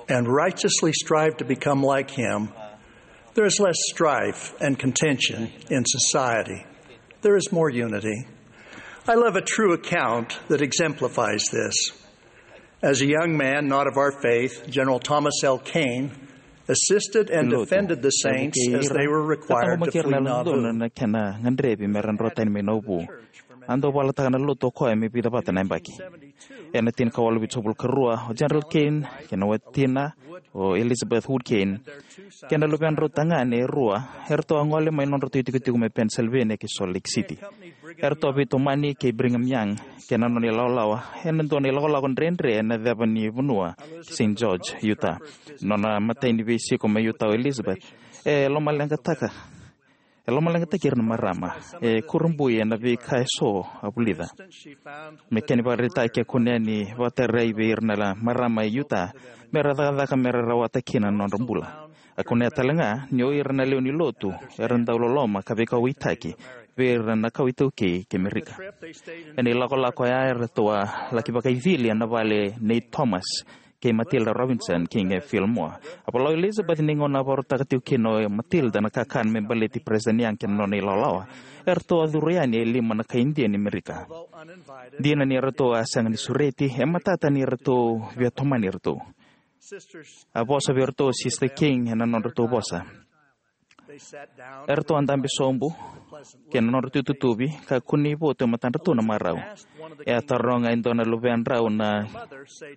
and righteously strive to become like Him, There is less strife and contention in society. There is more unity. I love a true account that exemplifies this. As a young man not of our faith, General Thomas L. Kane assisted and defended the saints as they were required to flee Nauvoo. Na kena gadrevi me ra drotani mai Nauvoo. A dau valataka na lotu o koya me vica vata na yabaki. Ena tinikawalu vitusagavulu ka rua, o General Kane kei na watina, o Elizabeth Wood Kane, kei na luvedrau tagane e rua, eratou a gole mai nodratou itikotiko mai Pennsylvania ki Salt Lake City. Eratou a veitomani kei Brigham Young kei na nona ilawalawa ena dua na ilakolako dredre ena ceva ni vanua ki Saint George, Utah. Nona imatai ni veisiko mai Utah o Elizabeth, e lomaleqataka e lomaleqataki ira na marama, e kurabui ena veika eso a vulica. Me kena ivakaraitaki, a kunea ni vakatarai vei ira na marama e Utah me ra cakacaka me ra rawata kina na nodra bula. A kunea tale ga ni o ira na lewe ni lotu era dau loloma ka veikauwaitaki vei ira na kawa iTaukei kei Amerika. Ena ilakolako oya eratou a laki vakaicili ena vale nei Thomas kei Matilda Robinson, King e Fillmore. A vola o Elizabeth ni gauna a vakarautaka tiko kina o Matilda na kakana me baleti President Young kei na nona ilawalawa, eratou a curu yani e lima na kai Idia ni Amerika. Dina ni eratou a sega ni sureti, e matata ni eratou via tomani iratou. A vosa vei iratou o Sister King ena nodratou vosa. Eratou a dabe sobu kei na nodratou itutuvi ka kunei votu e matadratou na marau. E a taroga e dua na luvedrau na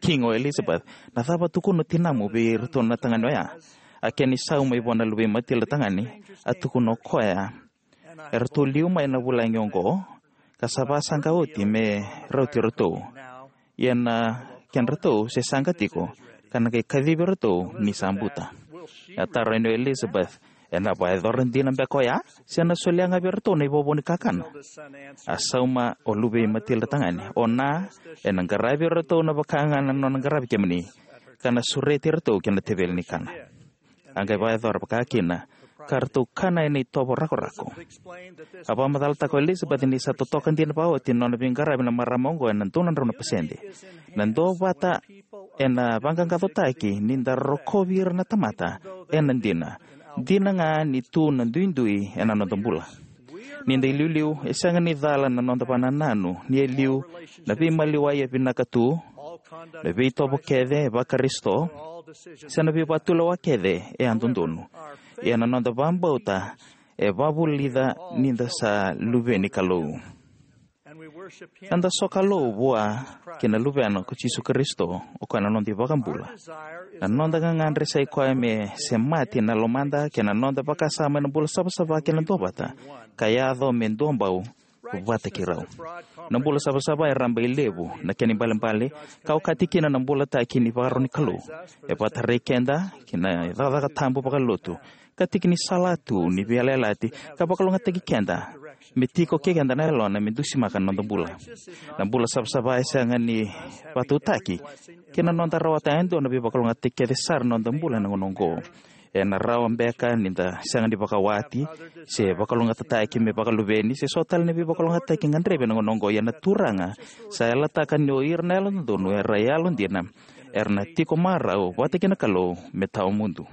King o Elizabeth, "Na cava tukuna o tinamu vei iratou na tagane oya?" A kena isau mai vua na luvei Matilda tagane, a tukuna o koya, "Eratou liu mai na vulagi oqo, ka sa vasaqa oti me rauti iratou. Ia na kedratou se saqa tiko, ka na qai kacivi iratou ni sa buta." E a taro yani o Elizabeth, "Ena vakayacora dina beka oya, se na solia ga vei iratou na ivovo ni kakana?" A sauma o luvei Matilda tagane, "O na, ena qaravi iratou na vaka ga na nona qaravi kemuni, ka na sureti iratou kei na teveli ni kana." A qai vakayacora vaka kina, ka ratou kana ena itovo rakorako. A vakamacalataka o Elizabeth ni sa totoka dina vakaoti na nona veiqaravi na marama oqo ena dua na drau na pasede. Na duavata ena vaqaqacotaki ni da rokovi ira na tamata ena dina, dina ga ni tu na duidui ena noda bula. Ni da iliuliu, e sega ni cala na noda vakanananu ni e liu na veimaliwai e vinaka tu, na veitovo kece e vaKarisito, se na veivatulewa kece e a dodonu. Ia na noda vakabauta e vakavulica ni da sa luve ni Kalou. Na da sokalou vua kei na Luvena ko Jisu Karisito, o koya na noda iVakabula. Na noda gagadre sa i koya me semati na lomada kei na noda vakasama ena bula savasava kei na duavata, ka yaco me duabau vata kei rau. Na bula savasava e rabailevu, na kena ibalebale ka okati kina na bulataki ni vakarau ni Kalou. E vakatarai keda ki na cakacaka tabu vakalotu, ka tiki ni salatu ni veiyalayalati, ka vakalougatataki keda me tiko kei keda na Yalona me dusimaka na noda bula. Na bula savasava e sega ni vakatautaki kei na noda rawata e dua na veivakalougatataki kece sara na noda bula ena gauna oqo. Ena rawa beka ni da sega ni vakawati se vakalougatataki me vakaluveni se so tale na veivakalougatataki gadrevi ena gauna oqo, ia na Turaga sa yalataka ni o ira na yalododonu era yalodina, era na tiko marau vata kei na Kalou me tawamudu.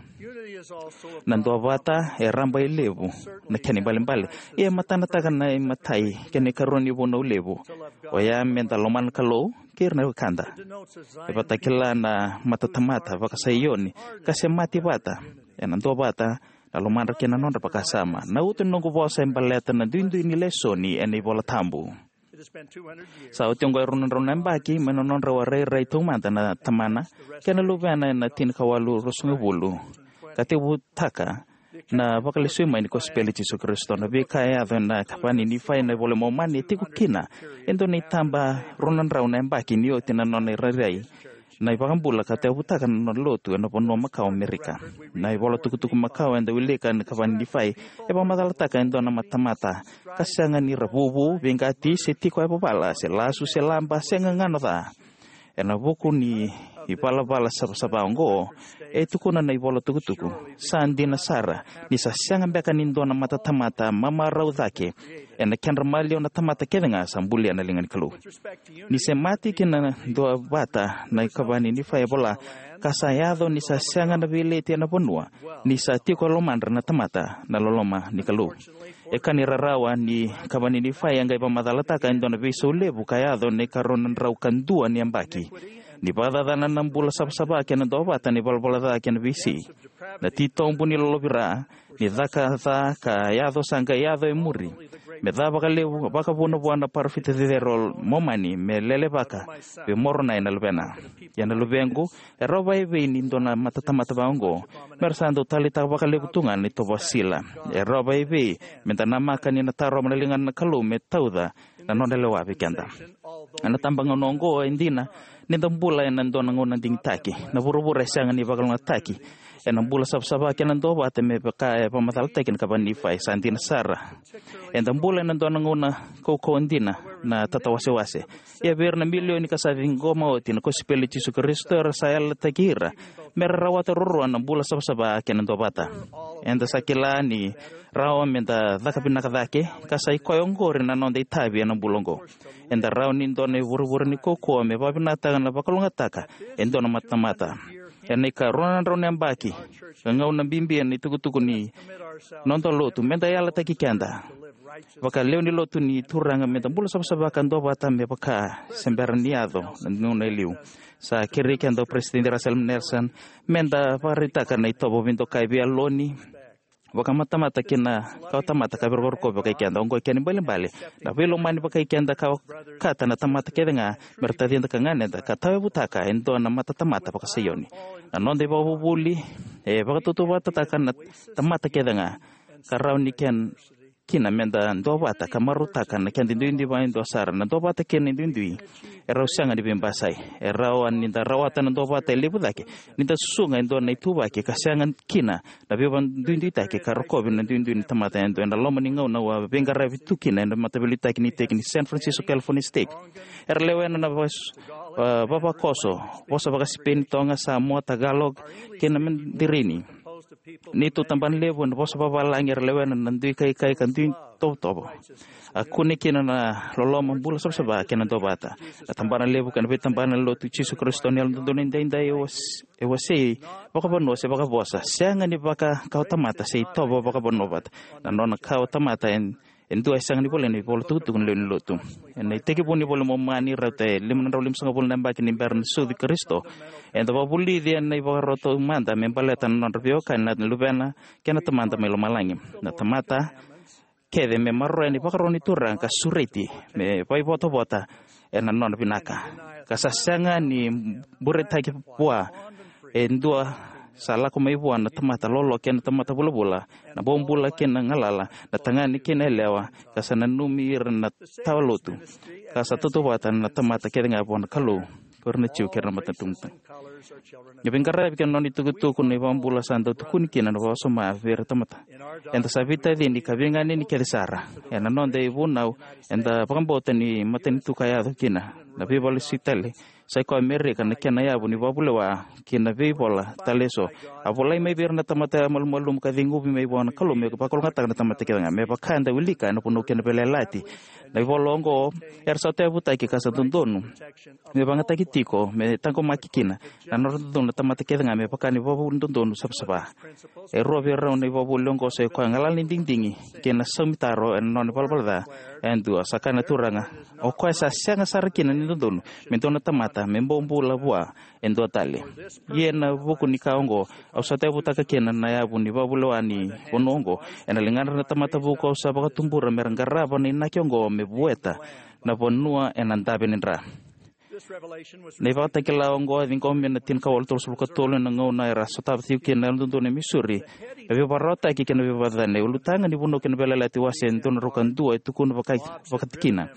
Na duavata e rabailevu, na kena ibalebale, ia e matanataka na imatai kei na ikarua ni vunau levu, oya me da lomana na Kalou kei ira na wekada. E vakatakila na matatamata vakaSaioni ka semati vata ena duavata na lomadra kei na nodra vakasama. Na uto ni noqu vosa e baleta na duidui ni lesoni ena iVola Tabu. Sa oti oqo e rua na drau na yabaki mai na nodrau a rairai taumada na tamana kei na luvena ena tinikawalu ruasagavulu, ka tekivutaka na vakalesui mai ni kosipeli i Jisu Karisito. Na veika e yaco ena ikava ni Nifai ena iVola i Momani e tiko kina e dua na itaba rua na drau na yabaki ni oti na nona irairai na iVakabula ka tekivutaka na nona lotu ena vanua makawa o Amerika. Na ivola tukutuku makawa eda wilika ena ikava ni Nifai e vakamacalataka e dua na matamata ka sega ni ra vuvu, veiqati, se tiko e vavala, se lasu, se laba, se gagano ca. Ena vuku ni ivalavala savasava oqo, e tukuna na ivola tukutuku, sa dina sara ni sa sega beka ni dua na matatamata mamarau cake ena kedra maliwa na tamata kece ga sa bulia na liga ni Kalou. Ni semati kei na duavata na ikava ni Nifai e vola, ka sa yaco ni sa sega na veileti ena vanua, ni sa tiko e lomadra na tamata na loloma ni Kalou. E ka ni rarawa ni ikava ni Nifai e qai vakamacalataka e dua na veisau levu ka yaco ena ikarua na drau ka dua ni yabaki. Ni vakacacana na bula savasava kei na duavata na ivalavala ca kei na veisei. Na titobu ni lolovira, ni caka ca ka yaco sa qai yaco e muri. Me ca vakalevu, vakavuna vua na parofita cecere o Momani, me lelevaka vei Moronai na luvena. Ia na luvequ, e rawa vei ni dua na matatamata vaqo, me ra sa dau taleitaka vakalevu tu ga na itovo sila. E rawa vei, me da namaka ni na tarova na ligana na Kalou, me tauca na nona lewa vei keda. Ena tabagauna oqo e dina, ni da bula ena dua na gauna digitaki. Na vuravura e sega ni vakalougatataki. Ena bula savasava kei na duavata me vaka e vakamacalataki na ikava ni Nifai sa dina sara. Eda bula ena dua na gauna kaukauwa dina na tatawasewase. Ia vei ira na milioni ka sa ciqoma oti na kosipeli i Jisu Karisito era sa yalataki ira. Me ra rawata ruarua na bula savasava kei na duavata. Eda sa kila ni rawa me da caka vinaka cake, ka sa i koya oqori na noda itavi ena bula oqo. Eda rawa ni dua na ivurevure ni kaukauwa me vakavinakataka na vakalougatataka e dua na matatamata. Ena ikarua na drau na yabaki, ka gauna bibi ena itukutuku ni noda lotu, me da yalataki keda vakalewe ni lotu ni Turaga me da bula savasava ka duavata me vaka se bera ni yaco na gauna e liu. Sa kerei keda o Peresitedi Russell M. Nelson me da vakaraitaka na itovo veidokai, veiyaloni, vakamatamata kei na kawatamata ka veivakarokovi vakai keda. Oqo e kena ibalebale, na veilomani vakai keda ka okata na tamata kece ga me ra tacida ka ganeda, ka tauyavutaka e dua na matatamata vaka-Saioni. Na noda ivakavuvuli e vakatautauvatataka na tamata kece ga, ka rawa ni kena kina me da duavata ka marautaka na keda duidui vakaidua sara. Na duavata kei na duidui e rau sega ni veibasai. E rawa ni da rawata na duavata e levu cake ni da susuga e dua na ituvaki ka sega kina na veivakaduiduitaki ka rokovi na duidui ni tamata yadua. Ena loma ni gauna au a veiqaravi tu kina ena mataveiliutaki ni iteki ni San Francisco California State, era lewena na vas-, a, vavakoso, vosa vaka-Sipeni, Toga, Samoa, Tagalog kei na Mandarini. Neitou tabana levu ena vosa vavalagi era lewena na dui kaikai ka dui tovotovo. A kune kina na loloma, bula savasava kei na duavata. Na tabana levu kei na veitabana ni Lotu i Jisu Karisito ni Yalododonu Edaidai e was-, e wasei vakavanua se vakavosa, sega ni vaka kawatamata se itovo vakavanua vata. Na nona kawatamata e, e dua e sega ni volai ena ivola tukutuku ni lewe ni lotu. Ena itekivu ni iVola i Momani, rauta e lima na drau limasagavulu na yabaki ni bera na sucu i Karisito, eda vakavulici ena ivakarau taumada me baleta na nodra veiwekani na Luvena kei na Tamada mai lomalagi. Na tamata kece me maroroya na ivakaro ni Turaga ka sureti me vakaivotavota ena nona vinaka, ka sa sega ni buretaki vua e dua sa lako mai vua na tamata lolo kei na tamata vulavula, na bobula kei na galala, na tagane kei na yalewa, ka sa nanumi ira na tawa lotu, ka sa tautauvata na tamata kece ga vua na Kalou, ko ira na Jiu kei ira na matanitu. Na veiqaravi kei na nona itukutuku na iVakabula sa dau tukuni kina na vakasoma vei ira tamata. Eda sa veitacini ka veiganeni kece sara. Ena noda ivunau, eda vakabauta ni matanitu ka yaco kina na veivakalesui tale, sa i koya Amerika na kena yavu ni vakavulewa kei na veivola tale eso. A volai mai vei ira na tamata malumalumu ka ceguvi mai vua na Kalou me vakalougatataka na tamata kece ga, me vaka eda wilika ena Vunau kei na Veiyalayalati. Na ivola oqo era sa tauyavutaki ka sa dodonu me vakayagataki tiko me taqomaki kina na nodra dodonu na tamata kece ga me vaka na ivakavuvuli dodonu savasava. E rua vei rau na ivakavuvuli oqo, sa i koya galala ni digidigi kei na saumitaro ena nona ivalavala ca yadua. Sa kaya na Turaga, o koya sa sega sara kina ni dodonu me dua na tamata me bobula vua e dua tale. Ia ena vuku ni ka oqo, au sa tauyavutaka kina na yavu ni vakavulewa ni vanua oqo. Ena ligadra na tamata vuku au sa vakatubura me ra qarava na inaki oqo me vueta na vanua ena dave ni dra. Na ivakatakila oqo e ciqomi ena tinikawalu tolusagavulu ka tolu, ena gauna era sotava tiko kina na Yalododonu e Missouri na veivakararawataki kei na veivakacacani. Ulutaga ni Vunau kei na Veiyalayalati, wase e dua na drau ka dua, e tukuna vaka, vakatikina.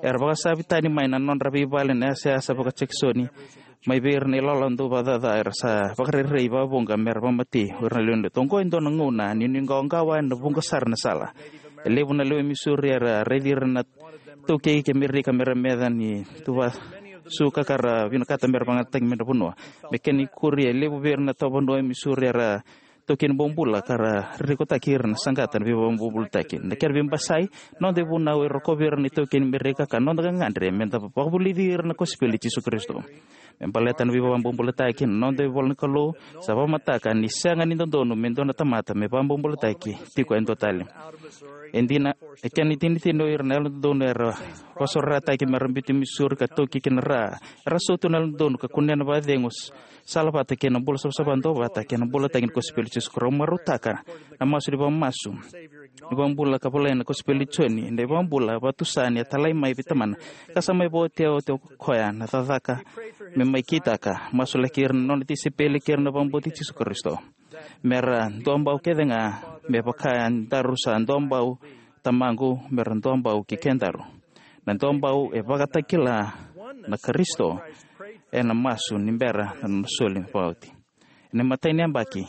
Era vakasavi tani mai na nodra veivale na yasayasa vaka-Jekisoni mai vei ira na ilawalawa dau vakacaca era sa vakarerei vakavuqa me ra vakamatei o ira na lewe ni lotu. Oqo e dua na gauna ni nuiqawaqawa, ena vuqa sara na sala. E levu na lewe i Missouri era raici ira na taukei kei Amerika me ra meca ni tuva suka ka ra vinakata me ra vakayagataki me ra vanua. Me kena ikuri, e levu vei ira na tawa vanua e Missouri era taukei ni bobula ka ra rekotaki ira na saqata na veivakabobulutaki. Na kena veibasai, noda ivunau e rokovi ira na itaukei ni Merika ka noda gagadre me da vakavulici ira na kosipeli i Jisu Karisito. Me baleta na veivakabobulutaki, na noda ivola na Kalou sa vakamataka ni sega ni dodonu me dua na tamata me vakabobulutaki tiko e dua tale. E dina, e kena itinitini o ira na yalododonu era vakasorataki me ra biuti Missouri ka taukei ki na ra, era sotu na yalododonu ka kunea na vakacegu, salavata kei na bula savasava duavata kei na bulataki ni kosipeli i Jisu Karisito. Marautaka na masu ni vakamasu ni vakabula ka volai na kosipeli i Joni, na ivakabula vakatusa ni a talai mai vei Tamana ka sa mai vakaotia oti o koya na cakacaka me mai kitaka. Masulaki ira na nona tisaipeli kei ira na vakabauti Jisu Karisito me ra duabau kece ga, me vaka e daru sa duabau Tamaqu, me ra duabau kei kedaru. Na duabau e vakatakila na Karisito ena masu ni bera na nona soli vakaoti. Ena imatai ni yabaki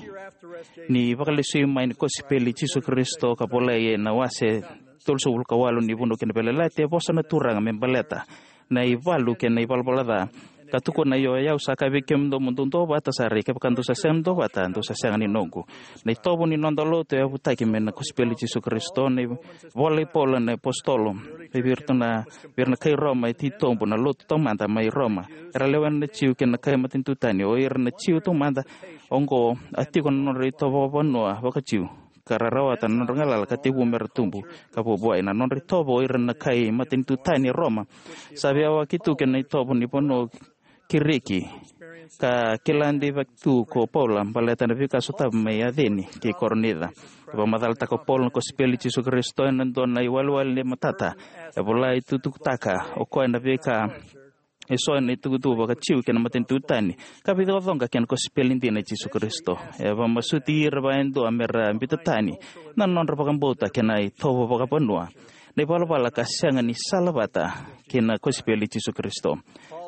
ni vakalesui mai ni kosipeli i Jisu Karisito ka volai ena wase tolusagavulu ka walu ni Vunau kei na Veiyalayalati, e vosa na Turaga me baleta na ivalu kei na ivalavala ca, ka tukuna: Io, o yau sa kaya vei kemudou mo dou duavata sara, ia kevaka dou sa sega ni duavata, dou sa sega ni noqu. Na itovo ni noda lotu e yavutaki mai na kosipeli i Jisu Karisito. Na ivola i Paula na apositolo vei iratou na, vei ira na kai Roma e titobu na lotu taumada mai Roma, era lewena na Jiu kei na kai matanitu tani. O ira na Jiu taumada oqo a tiko na nodra itovo vakavanua vakaJiu, ka ra rawata na nodra galala ka tekivu me ra tubu ka vuavuai. Na nodra itovo o ira na kai matanitu tani e Roma sa veiyawaki tu kei na itovo ni vanua Kiriki, ka kila deivaki tu ko Paula baleta na veika sotava mai Aceni kei Korinica. E vakamacalataka o Paula na kosipeli i Jisu Karisito ena dua na iwalewale ni matata. E volai tukutukutaka o koya na veika eso ena itukutuku vakaJiu kei na matanitu tani ka veicoqacoqa kei na kosipeli dina i Jisu Karisito. E vakamasuti ira vakayadua me ra biuta tani na nodra vakabauta kei na itovo vakavanua, na ivalavala ka sega ni salavata kei na kosipeli i Jisu Karisito.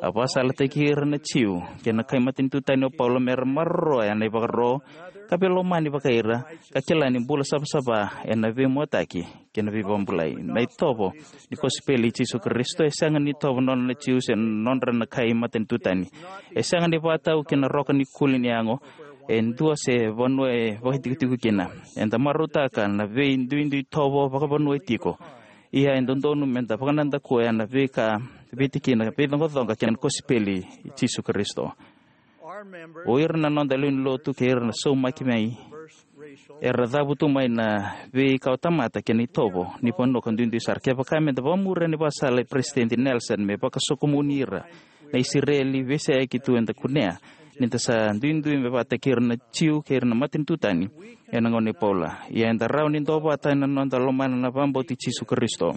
A vakasalataki ira na Jiu kei na kai matanitu tani o Paula me ra maroroya na ivakaro ka veilomani vakai ira, ka kila ni bula savasava ena veimuataki kei na veivakabulai. Na itovo ni kosipeli i Jisu Karisito e sega ni itovo nona na Jiu se nodra na kai matanitu tani. E sega ni vakatau ki na roka ni kuli ni yago e dua se vanua e vakaitikotiko kina. Eda marautaka na veiduidui itovo vakavanua e tiko. Ia e dodonu me da vakanadakuya na veika, veitikina, veicoqacoqa kei na kosipeli i Jisu Karisito. O ira na noda lewe ni lotu kei ira na saumaki mai era cavutu mai na veika o tamata kei na itovo ni vanua ka duidui sara. Kevaka me da vakamuria na ivakasala i Peresitedi Nelson me vakasokomuni ira na Isireli veiseyaki tu, eda kunea ni da sa duidui me vakataki ira na Jiu kei ira na matanitu tani ena gauna i Paula. Ia eda rawa ni duavata ena noda lomana na vakabauti Jisu Karisito.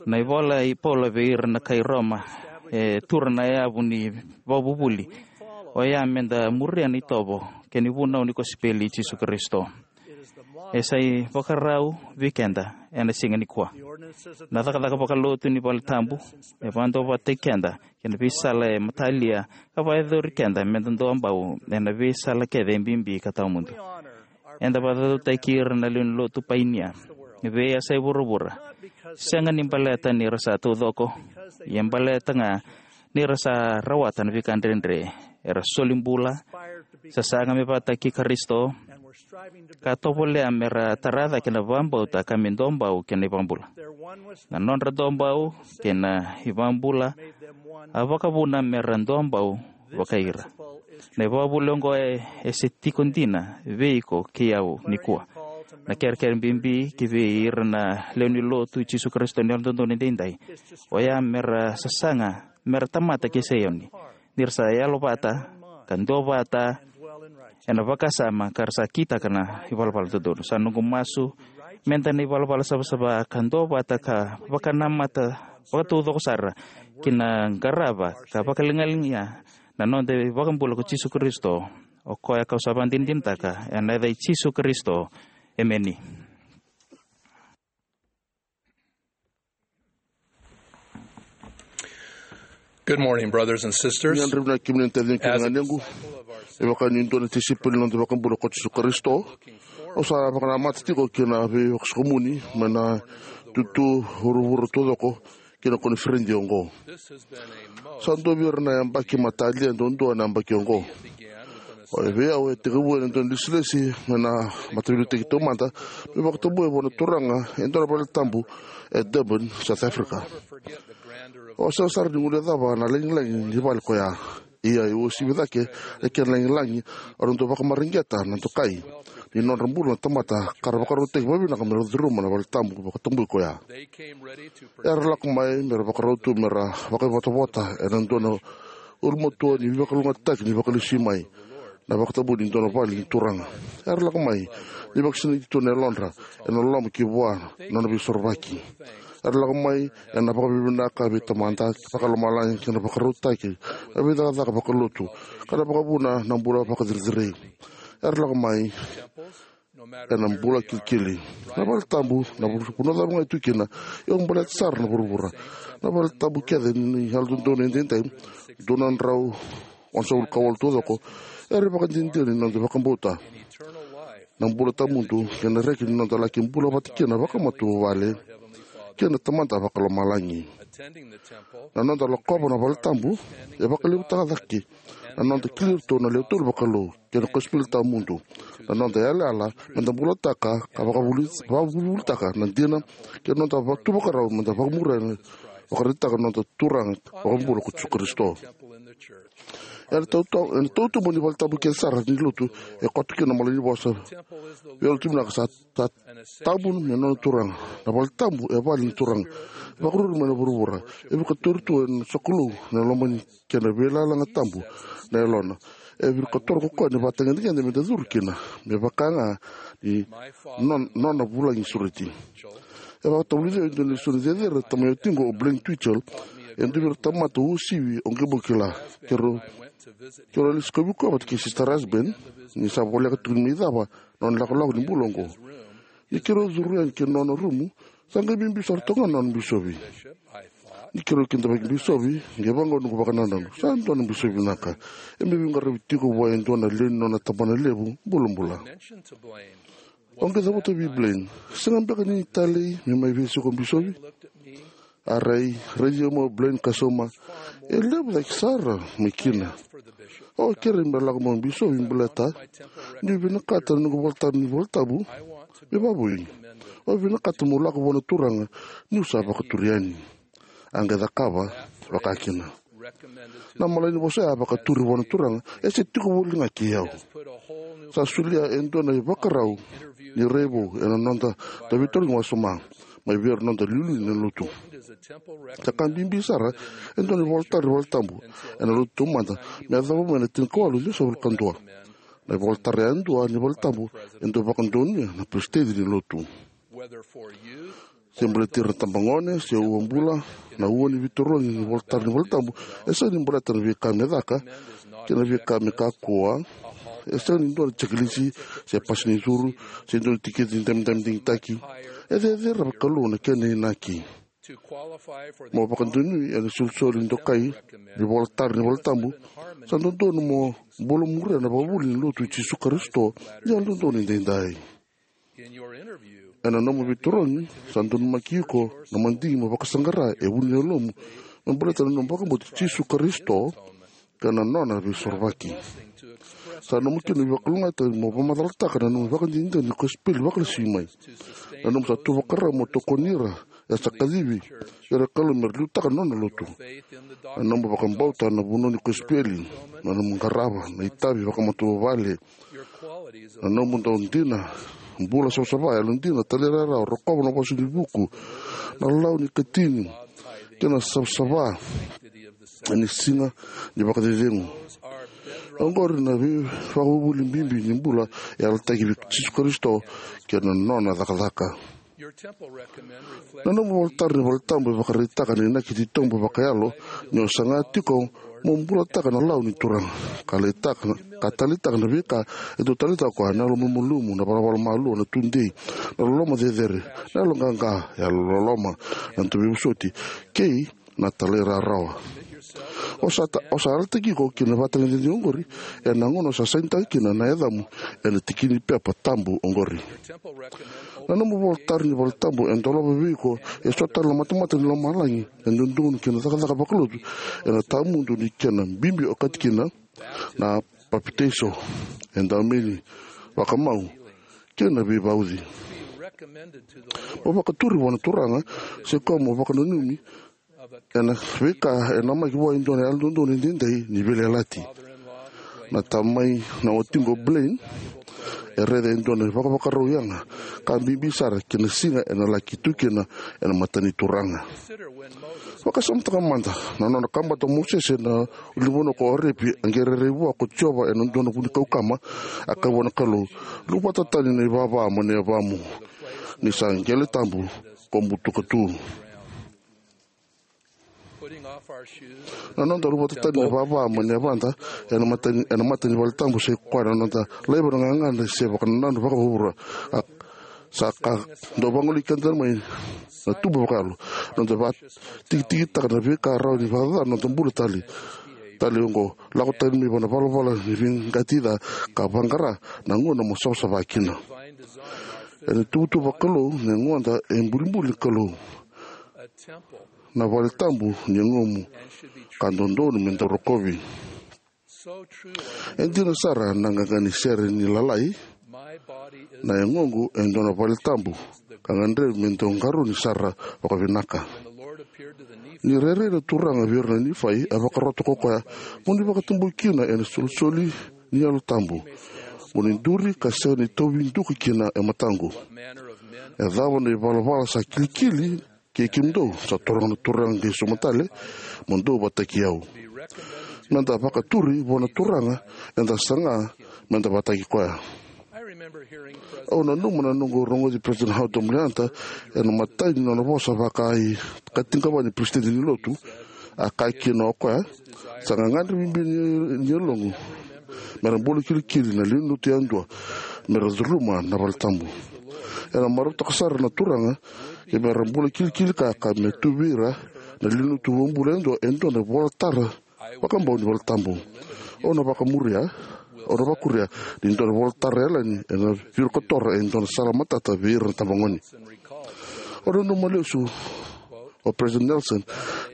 Na ivola i Paula vei ira na kai Roma e tura na yavu ni vakavuvuli, oya me da muria na itovo kei na ivunau ni kosipeli i Jisu Karisito. E sa ivakarau vei keda ena siga nikua. Na cakacaka vakalotu ni valetabu e vakaduavatataki keda kei na veisala e matalia ka vakayacori keda me da duabau ena veisala kece e bibi ka tawamudu. Eda vakacaucautaki ira na lewe ni lotu painia veiyasai vuravura, sega ni baleta ni ra sa taucoko, ia baleta ga ni ra sa rawata na veika dredre. Era soli bula, sasaga me vakataki Karisito, ka tovolea me ra tara cake na vakabauta ka me duabau kei na iVakabula. Na nodra duabau kei na iVakabula a vakavuna me ra duabau vakai ira. Na ivakavuvuli oqo e, e se tiko dina vei iko kei au nikua. Na kerekere bibi ki vei ira na lewe ni lotu i Jisu Karisito ni Yalododonu Edaidai, oya me ra sasaga me ra tamata kei Saioni, ni ra sa yalovata ka duavata ena vakasama ka ra sa kitaka na ivalavala dodonu. Sa noqu masu me da na ivalavala savasava ka duavata ka vakanamata vakataucoko sara ki na qarava ka vakaligaliga na noda iVakabula ko Jisu Karisito, o koya kau sa vakadinadinataka ena yaca i Jisu Karisito. Emeni. Good morning, brothers and sisters. Ni yadra vinaka kemuni na taciqu kei na ganequ. Me vaka niu dua na tisaipeli ni noda iVakabula ko Jisu Karisito, au sa vakanamata tiko ki na veivakasokomuni mai na itutu vuravura taucoko ki na koniferedi oqo. Sa dua vei ira na yabaki matalia duadua na yabaki oqo. O e vei au e tekivu ena dua na lesilesi mai na Mataveiliutaki Taumada, me vakatabui vua na Turaga e dua na valetabu e Durban, South Africa. Au sega sara ni guilecava na lagilagi ni vale koya. Ia, e uasivi cake na kena lagilagi, au na dau vakamareqeta na dokai ni nodra bula na tamata ka ra vakarautaki vakavinaka me ra curuma na valetabu vakatabui koya. Era lako mai me ra vakarau tu me ra vakaivotavota ena dua na ulumatua ni veivakalougatataki ni vakalesui mai na vakatabui ni dua na vale ni Turaga. Era lako mai ni vakasinaiti tu na yalodra ena loloma ki vua na nona Veisorovaki. Era lako mai ena vakavinavinaka vei Tamada Vakalomalagi kei na vakarautaki na veicakacaka vakalotu ka na vakavuna na bula vakacerecerei. Era lako mai ena bula kilikili. Na valetabu, na vanua cava ga e tu kina, e baleta sara na vuravura. Na valetabu kece ni Yalododonu Edaidai, dua na drau onosagavulu ka walu taucoko, era ivakadinadina ni noda vakabauta na bula tawamudu kei na reki ni noda laki bula vata kina vakamatavuvale kei na Tamada Vakalomalagi. Na noda lakova na valetabu e vakalevutaka cake na noda kila iratou na lewe tolu vakalou kei na kosipeli tawamudu, na noda yalayala meda bulataka ka vakavuli- vakavulivulitaka na dina, kei na noda va- tu vakarau meda vakamuria na vakaraitaka na noda Turaga Vakabula ko Jisu Karisito. Ena tauta- ena tautuba ni valetabu kece sara ni lotu e koto kina na malanivosa veilotu vinaka sa ta- tabu me nona Turaga. Na valetabu e vale ni Turaga, vakaruru mai na vuravura. E vakatori tu ena sokalou na lomani kei na veiyalayalati tabu na yalona. E vakatori ko koya na ivakatagedegede meda curu kina me vaka ga ni non- nona vulagi sureti. E vakatavulici au e dua na lesoni cecere na tama i watiqu o Blaine Twitchell, e dua vei ira na tamata uasivi au qai bau kila. Keirau keirau a lesu kauvi koya vata kei Sister Rasband ni sa voleka tiko ni mai cava na nona ilakolako ni bula oqo. Ni keirau curu yani ki na nona rumu, sa qai bibi sara toka ga na nona bisovi. Ni keirau kidavaki bisovi, qai vaqo noqu vakanananu, sa dua na bisovi vinaka. E mai veiqaravi tiko vua e dua na lewe ni nona tabana levu bulabula. Au qai cavuta vei Blaine, sega beka ni talei me mai veisiko bisovi? A rai, raici au mai o Blaine ka sauma, e levu cake sara mai kina. Au a kerei me lako mai o bisovi baleta niu vinakata na noqu ivolatara ni valetabu me vakavoui. Au vinakata meu lako vua na Turaga niu sa vakaturi yani. A qai cakava vakakina. Na malanivosa ya vakaturi vua na Turaga e se tiko voli ga kei au. Sa solia e dua na ivakarau ni rai vou ena noda dau veitarogi wasoma mai vei ira na noda iliuliu ni lotu. Sa ka bibi sara e dua na ivolatara ni valetabu ena lotu taumada me yacova mai na tinikawalu ciwasagavulu ka dua. Na ivolatara yadua ni valetabu e dau vakadonuya na peresitedi ni lotu. Se baleti ira na tabagone se uabula, na ua ni veitarogi ni ivolatara ni valetabu e sega ni baleta na veika me caka kei na veika me kakua. E sega ni dua na jekelisi se pasi ni curu se dua na tikiti ni damidami digitaki. E cecere vakalou na kena inaki. Mo vakadonui ena isolisoli dokai ni ivolatara ni valetabu, sa dodonu mo bula muria na ivakavuvuli ni lotu i Jisu Karisito ni Yalododonu Edaidai. Ena nomu veitarogi, sa donumaki iko na madigi mo vakasaqara e vu ni yalomu me baleta na nomu vakabauti Jisu Karisito kei na nona veisorovaki. Sa nomu kina na veivakalougatataki mo vakamacalataka na nomu ivakadinadina ni kosipeli vakalesui mai. Na nomu sa tu vakarau mo tokoni ira era sa kacivi ira na Kalou me ra liutaka na nona lotu. Na nomu vakabauta na vanua ni kosipeli, na nomu qarava na itavi vakamatavuvale, na nomu dau dina, bula savasava, yalodina, talairawarawa, rokova na vosa ni vuku, na lawa ni katini, kei na savasava ni siga ni vakacecegu. Oqori na veivakavuvuli bibi ni bula e yalataki vei Jisu Karisito kei na nona cakacaka. Na nomu ivolatara ni valetabu e vakaraitaka na inaki titobu vakayalo ni o saga tiko mo bulataka na lawa ni Turaga, ka taleitaka, ka taleitaka na veika e dau taleitaka o koya, na yalomalumalumu, na ivalavala malua, na tudei, na loloma cecere, na yaloqaqa, yalololoma, na dauvosoti, kei na talairawarawa. O sa, ta, o sa yalataki iko ki na vatagedegede oqori ena gauna o sa sainitaka kina na yacamu ena tikini pepa tabu oqori. Na nomu ivolatara ni valetabu e dolava vei iko eso tale na matamata ni lomalagi e dodonu ki na cakacaka vakalotu ena tawamudu ni kena bibi okati kina na papitaiso, edaumeni, vakamau, kei na veivauci. Mo vakaturi vua na Turaga se koya mo vakananumi ena veika e namaki vua e dua na yalododonu edaidai ni veiyalayalati. Na tamai na watiqu o Blaine e raica e dua na vakavakarau yaga ka bibi sara ki na siga ena laki tu kina ena mata ni Turaga. Vakasamataka mada na nona kabata o Mosese na ulunivanua ko Orepi, a qai rairai vua ko Jiova ena dua na vunikau kama, a kaya vua na Kalou, "Luvata tani na ivava mai na yavamu, ni sa qele tabu ko butuka tu." Na noda luvata tani na ivava mai na yavada ena mata ni, ena mata ni valetabu, sai koya na noda laiva na gagadre se vakanananu vakavuvura. A, sa ka dau vagolei keda mai na tubu vakayalo. Noda vakatikitiki taka na veika rawa ni vakacaca na noda bula tale, tale oqo, lako tani mai vua na valavala ni veiqati ca ka vaqara na gauna mo savasava kina. Ena tuvatuva vakalou na yagoda e bulibuli ni Kalou, na valetabu ni yagomu, ka dodonu me dau rokovi. E dina sara na qaqa ni sere ni lalai, na yagoqu e dua na valetabu ka gadrevi me dau qarauni sara vakavinaka. Ni rairai na Turaga vei ira na Nifai, a vakarota ko koya, "Mo ni vakatabui kina ena solisoli ni Yalo Tabu, mo ni duri ka sega ni tauvi duka kina e mataqu. E cava na ivalavala sa kilikili kei kemudou?" Sa toroga na Turaga qai sauma tale, "Mo dou vataki au." Meda vakaturi vua na Turaga, eda saga meda vataki koya. Au nanuma na noqu rogoci President Howard W. Hunter ena imatai ni nona vosa vaka-i-katiqava ni Peresitedi ni Lotu. A kaya kina o koya, "Sa gagadre bibi ni, ni yaloqu mera bula kilikili na lewenilotu yadua mera curuma na valetabu. Ena marautaka sara na Turaga kei mera bula kilikili ka, ka me tu vei ira na lewenilotu vakabula yadua e dua na ivolatara vakabau ni valetabu. Au na vakamuria, au na vakuria ni dua na ivolatara yalani ena vakarokoroko e dua na sala matata vei ira na itabagone." Au nanuma lesu o President Nelson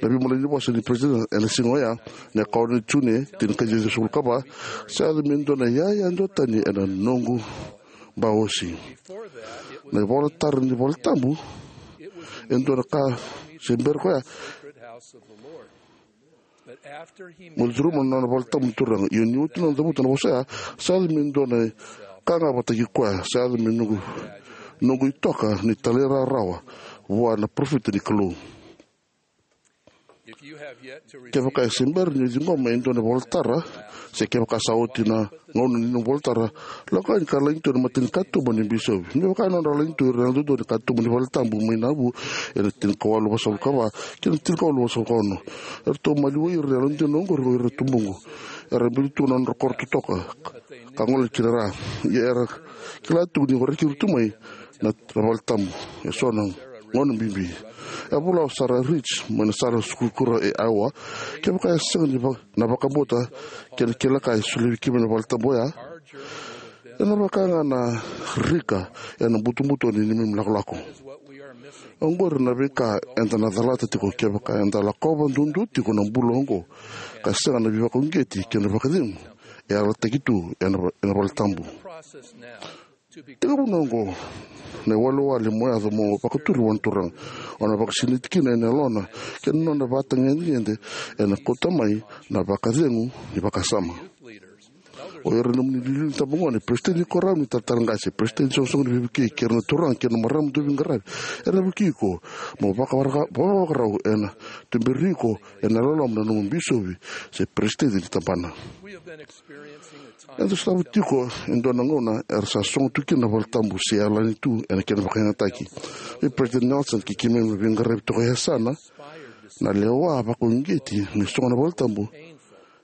na veimalanivosa ni President ena siga oya, na ika ono ni June, tinikaciwa ciwasagavulu ka va, "Sa yaco me dua na iyaya duatani ena noqu baosi." Na ivolatara ni valetabu e dua na ka se bera koya. Mo curuma na nona valetabu na Turaga. Ia ni oti nona cavuta na vosa ya, sa yaco me dua na ka ga vakataki koya, sa yaco me noqu, noqu itoka ni talairawarawa vua na parofita ni Kalou. Kevaka e se bera ni ciqoma e dua na ivolatara, se kevaka sa oti na gauna ni nomu ivolatara, lako yani ka lagidua ena mata ni katuba ni bisopi. Me vaka na nodra lagidua ira na yalododonu ni katuba ni valetabu mai Nauvoo ena tinikawalu vasagavulu ka va kei na tinikawalu vasagavulu ka ono. Eratou maliwai ira na yalodina oqori o ira na tubuqu. Era biuta tu na nodra koro totoka ka gole ki na ra. Ia era kila tu ni waraki ira tu mai na, na valetabu eso na gauna bibi. E vola o Sarah Rich mai na sala sukurukura e Iowa, "Kevaka e sega ni va-, na vakabauta kei na kila ka e solia vei keimami na valetabu oya, ena vaka ga na rika ena butobuto ni neimami lakolako." Oqori na veika eda na calata tiko kevaka eda lakova duadua tiko na bula oqo ka sega na veivakauqeti kei na vakacegu e yalataki tu ena, ena valetabu. Tekivu oqo na iwalewale mo yaco mo vakaturi vua na Turaga. O na vakasinaiti kina ena yalona kei na nona ivakatagedegede, ena kauta mai na vakacegu ni vakasama. O ira na nomuni iliuliu ni itabagone, peresitedi ni koro ni talatala qase, peresitedi ni soqosoqo ni veivukei, kei ira na turaga kei na marama dauveiqaravi, era na vukei iko mo vakavara-, vakavakarau, ena tuberi iko ena loloma na nomu bisopi se peresitedi ni tabana. Eda sotava tiko e dua na gauna era sa sogo tu kina na valetabu se yalani tu ena kena vakayagataki. Vei President Nelson kei keimami na veiqaravi toka e yasana, na lewa vakauqeti me sogo na valetabu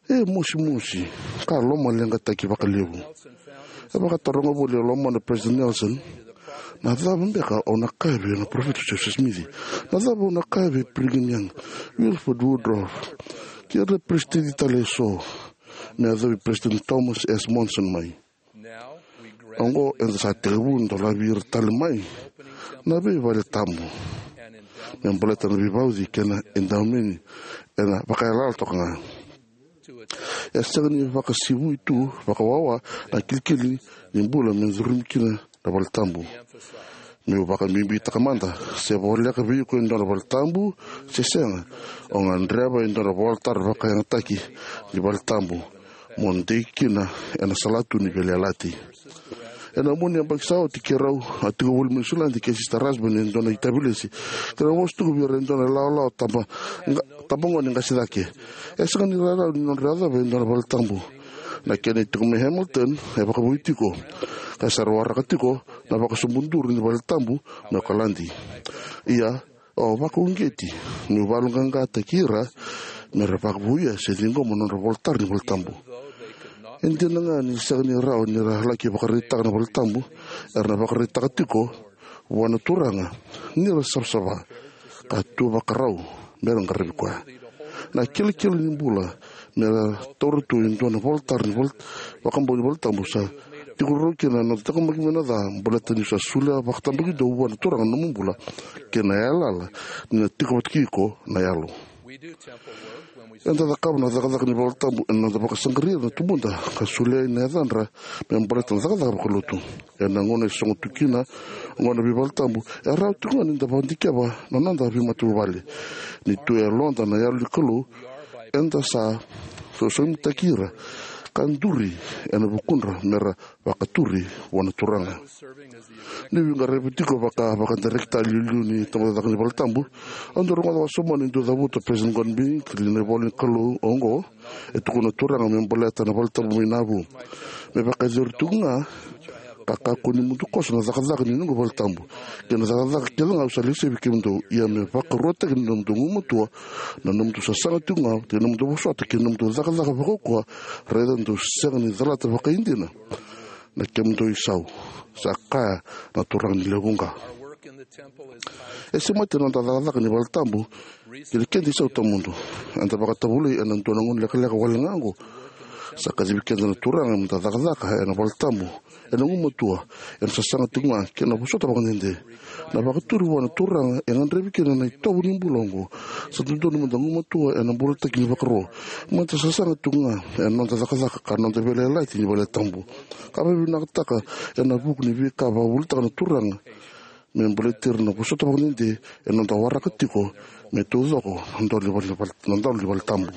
e mosimosi ka lomaleqataki vakalevu. E vakataroga voli e lomana o President Nelson, "Na cava beka au na kaya vei na Parofita Joseph Smith? Na cava au na kaya vei Brigham Young, Wilford Woodruff, kei ira na peresitedi tale eso, me yacovi Peresitedi Thomas S. Monson mai. Oqo eda sa tekivu dolavi ira tale mai na veivale tabu me baleta na veivauci kei na edaumeni ena vakayalayala toka ga. E sega ni vakasivui tu vakawawa na kilikili ni bula me curumi kina na vale tabu. Meu vakabibitaka mada, se voleka vei iko e dua na vale tabu se sega, o gadreva e dua na volatara vakayagataki ni vale tabu mo dei kina ena salatu ni veiyalayalati. Ena mua ni yabaki sa oti keirau a tiko voli mai Niusiladi kei Sisita Rasbani e dua na itavilesi. Keirau vosa tiko vei ira e dua na ilawalawa taba, ga, tabagone qase cake. E sega ni rarawa ni nodra yacova e dua na vale tabu. Na kena itiko mai Hamilton e vakavoui tiko, ka sa ra waraka tiko na vakasobuduru ni vale tabu mai Okaladi. Ia, au vakauqeti meu vakayaloqaqataki ira me ra vakavouya se ciqoma na nodra volatara ni vale tabu. E dina ga ni sega ni rawa ni ra laki vakaraitaka na vale tabu, era na vakaraitaka tiko vua na Turaga ni ra savasava ka tu vakarau me ra qaravi koya. Na kilikili ni bula me ra taura tu e dua na volatara ni vale, vakabau ni vale tabu sa tiko rau kina na noda taqomaki mai na ca, baleta ni sa solia vakatabakidua vua na Turaga na nomu bula kei na yalayala ni na tiko vata kei iko na Yalo. Eda cakava na cakacaka ni vale tabu ena noda vakasaqarai ira na tubuda ka solia na yacadra me baleta na cakacaka vakalotu. Ena gauna e sogo tu kina oqo na veivale tabu, e rawa tiko ga ni da vakadikeva na noda veimatavuvale. Ni tu e yaloda na Yalo ni Kalou, eda sa sosomitaki ira ka duri ena vukudra me ra vakaturi vua na Turaga. Niu veiqaravi tiko vaka, vakadirekita iliuliu ni tabacakacaka ni vale tabu, au dau rogoca wasoma ni dau cavuta o Peresitedi Gordon B. Hinckley na ivola ni Kalou oqo, e tukuna na Turaga me baleta na vale tabu mai Nauvoo: Me vakayacori tiko ga, ka kakua ni mudu koso na cakacaka ni noqu vale tabu kei na cakacaka kece ga au sa lesevi kemudou, ia me vakaruataki na nomudou gumatua, na nomudou sasaga tiko ga, kei na nomudou vosota, kei na nomudou cakacaka vakaukauwa, raica dou sega ni calata vakaidina na kemudou isau, sa kaya na Turaga ni lewe vuqa. E semati na noda cakacaka ni vale tabu ki na keda isau tawamudu. Eda vakatavulai ena dua na gauna lekaleka wale ga oqo. Sa kacivi keda na Turaga meda cakacaka ena vale tabu, ena gumatua, ena sasaga tiko ga, kei na vosota vakadede. Na vakaturi vua na Turaga e gadrevi kina na itovo ni bula oqo. Sa dodonu meda gumatua ena bulataki ni vakaro, meda sasaga tiko ga ena noda cakacaka ka noda veiyalayalati ni vale tabu. Ka vakavinakataka ena vuku ni veika vakavuvulitaka na Turaga me baleti ira na vosota vakadede ena noda waraka tiko me taucoko na dolo ni vale, na dolo ni vale tabu.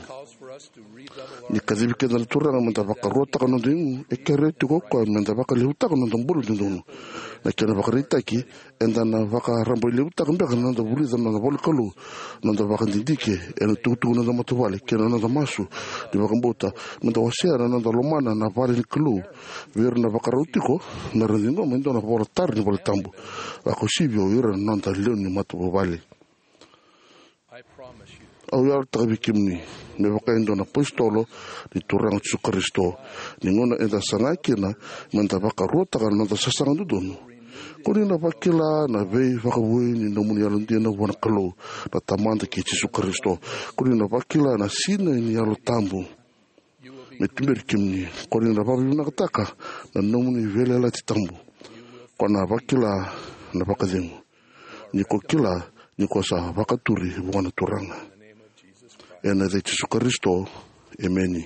Ni kacivi keda na Turaga meda vakaruataka na noda igu, e kerea tiko o koya meda vakalevutaka na noda bula dodonu. Na kena ivakaraitaki, eda na vakarabailevutaka beka na noda vulica na noda ivolanikalou, na noda vakadidike ena itukutuku ni noda matavuvale, kei na noda masu ni vakabauta meda wasea na noda lomana na vale ni Kalou vei ira na vakarau tiko me ra ciqoma e dua na volatara ni vale tabu, vakauasivi o ira na noda lewe ni matavuvale. Au yalataka vei kemuni, me vaka e dua na iApositolo ni Turaga o Jisu Karisito, ni gauna eda saga kina meda vakaruataka na noda sasaga dodonu, ko ni na vakila na veivakavoui ni nomuni yalodina vua na Kalou na Tamada kei Jisu Karisito. Ko ni na vakila na sinai ni Yalo Tabu me tuberi kemuni. Ko ni na vakavinavinakataka na nomuni veiyalayalati tabu. Ko na vakila na vakacegu ni ko kila ni ko sa vakaturi vua na Turaga. Ena yaca i Jisu Karisito, emeni.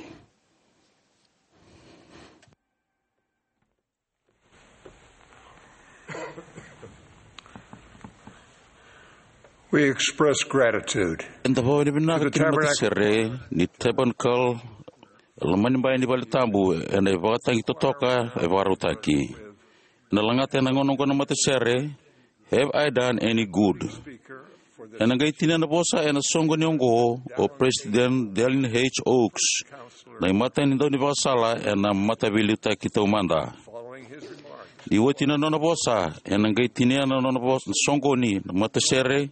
We express gratitude. Eda vakavinavinaka ki na matasere ni Tabernacle, e loma ni bai ni vale tabu, ena ivakatagi totoka e vakarautaki. Ena lagata ena gauna oqo na matasere, Have I Done Any Good? Ena qai tinia na vosa ena soqoni oqo o President Dallin H. Oaks, na imatai ni daunivakasala ena Mataveiliutaki Taumada. Ni oti na nona vosa, ena qai tinia na nona vosa, na soqoni na matasere,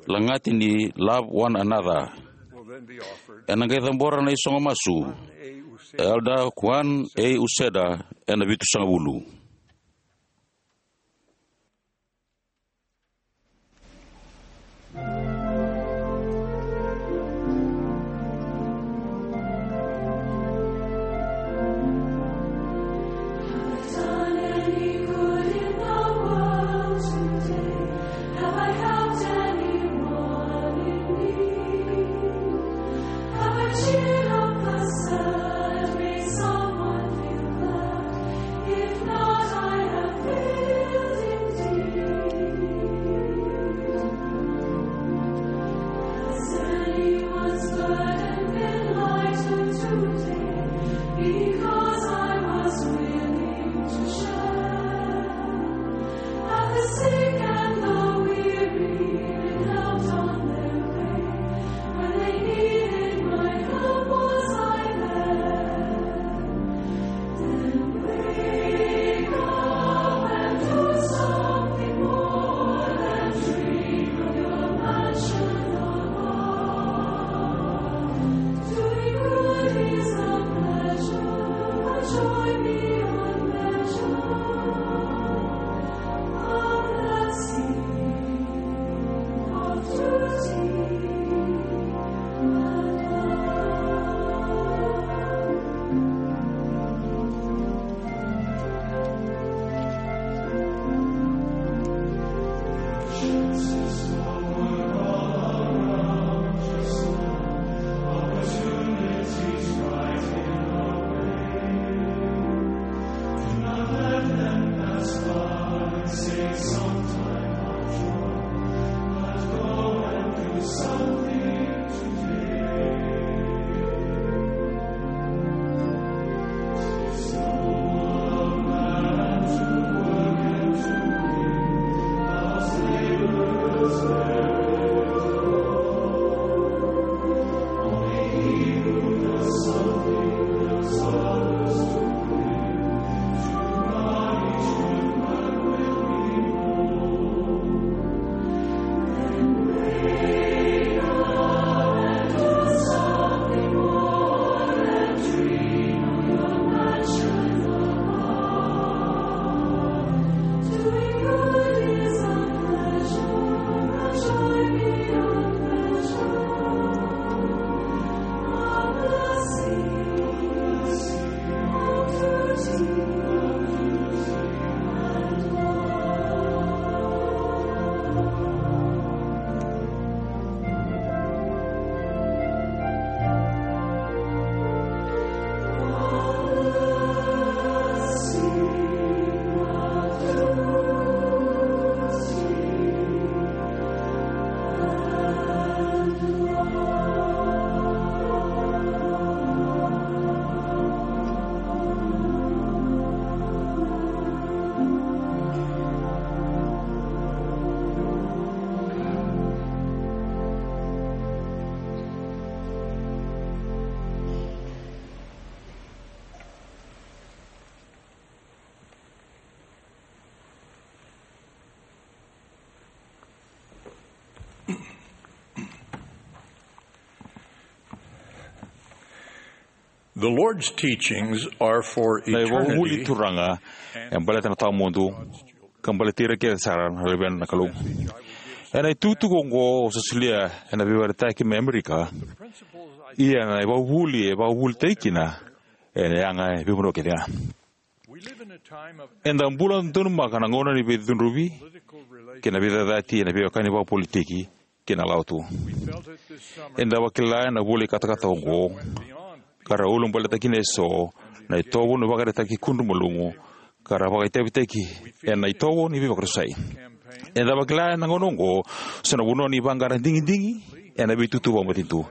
lagati ni Love One Another. Ena qai cabora na isogo masu, Elder Juan A. Uceda, ena vitusagavulu. The Lord's teachings are for eternity. Na ivakavuvuli ni Turaga e baleta na tawamudu, ka baleti ira kece sara na luvena na Kalou. Ena itukutuku oqo au sa solia ena veivaretaki mai Amerika, ia na ivakavuvuli e vakavuvulitaki kina ena yaga e veivanua kece ga. Eda bula donumaka na gauna ni veicudruvi kei na veicacati ena veiwekani vakapolitiki kei na Lotu. Eda vakila ena vula ni katakata oqo, ka ra ulabaletaka kina eso na itovo ni ivakaraitaki kudru malumu, ka ra vakaitavitaki ena itovo ni veivakarusai. Eda vakila ena gauna oqo so na vanua ni vaqara digidigi ena veitutu vakamatanitu.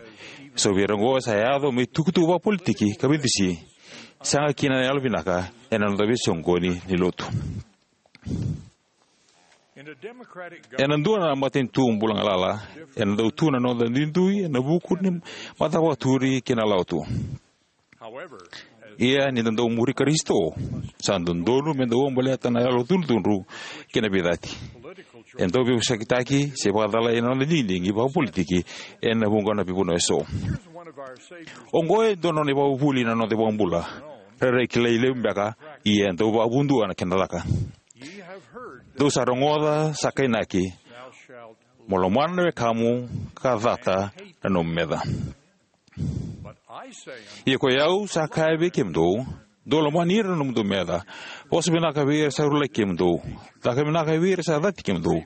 So vei ira oqo sa yaco me itukutuku vakapolitiki ka veidusi, sega kina na yalovinaka ena noda veisoqoni ni Lotu. Ena dua na matanitu bula galala, ena dau tu na noda duidui ena vuku ni matavakaturi kei na Lotu. Ia ni da dau muri Karisito, sa dodonu me da ulabaleta na yalocudrucudru kei na veicati. E dau veivosakitaki se vakacalai ena noda digidigi vakapolitiki ena vuqa na veivanua eso. Oqo e dua na nona ivakavuvuli na noda iVakabula, rairai kilai levu beka, ia e dau vakavudua na kena caka. Dou sa rogoca sa kainaki, mo lomana na wekamu ka cata na nomu meca. Ia ko i au sa kaya vei kemudou, dou lomani ira na nomudou meca, vosa vinaka vei ira sa rulaki kemudou, caka vinaka vei ira sa cati kemudou,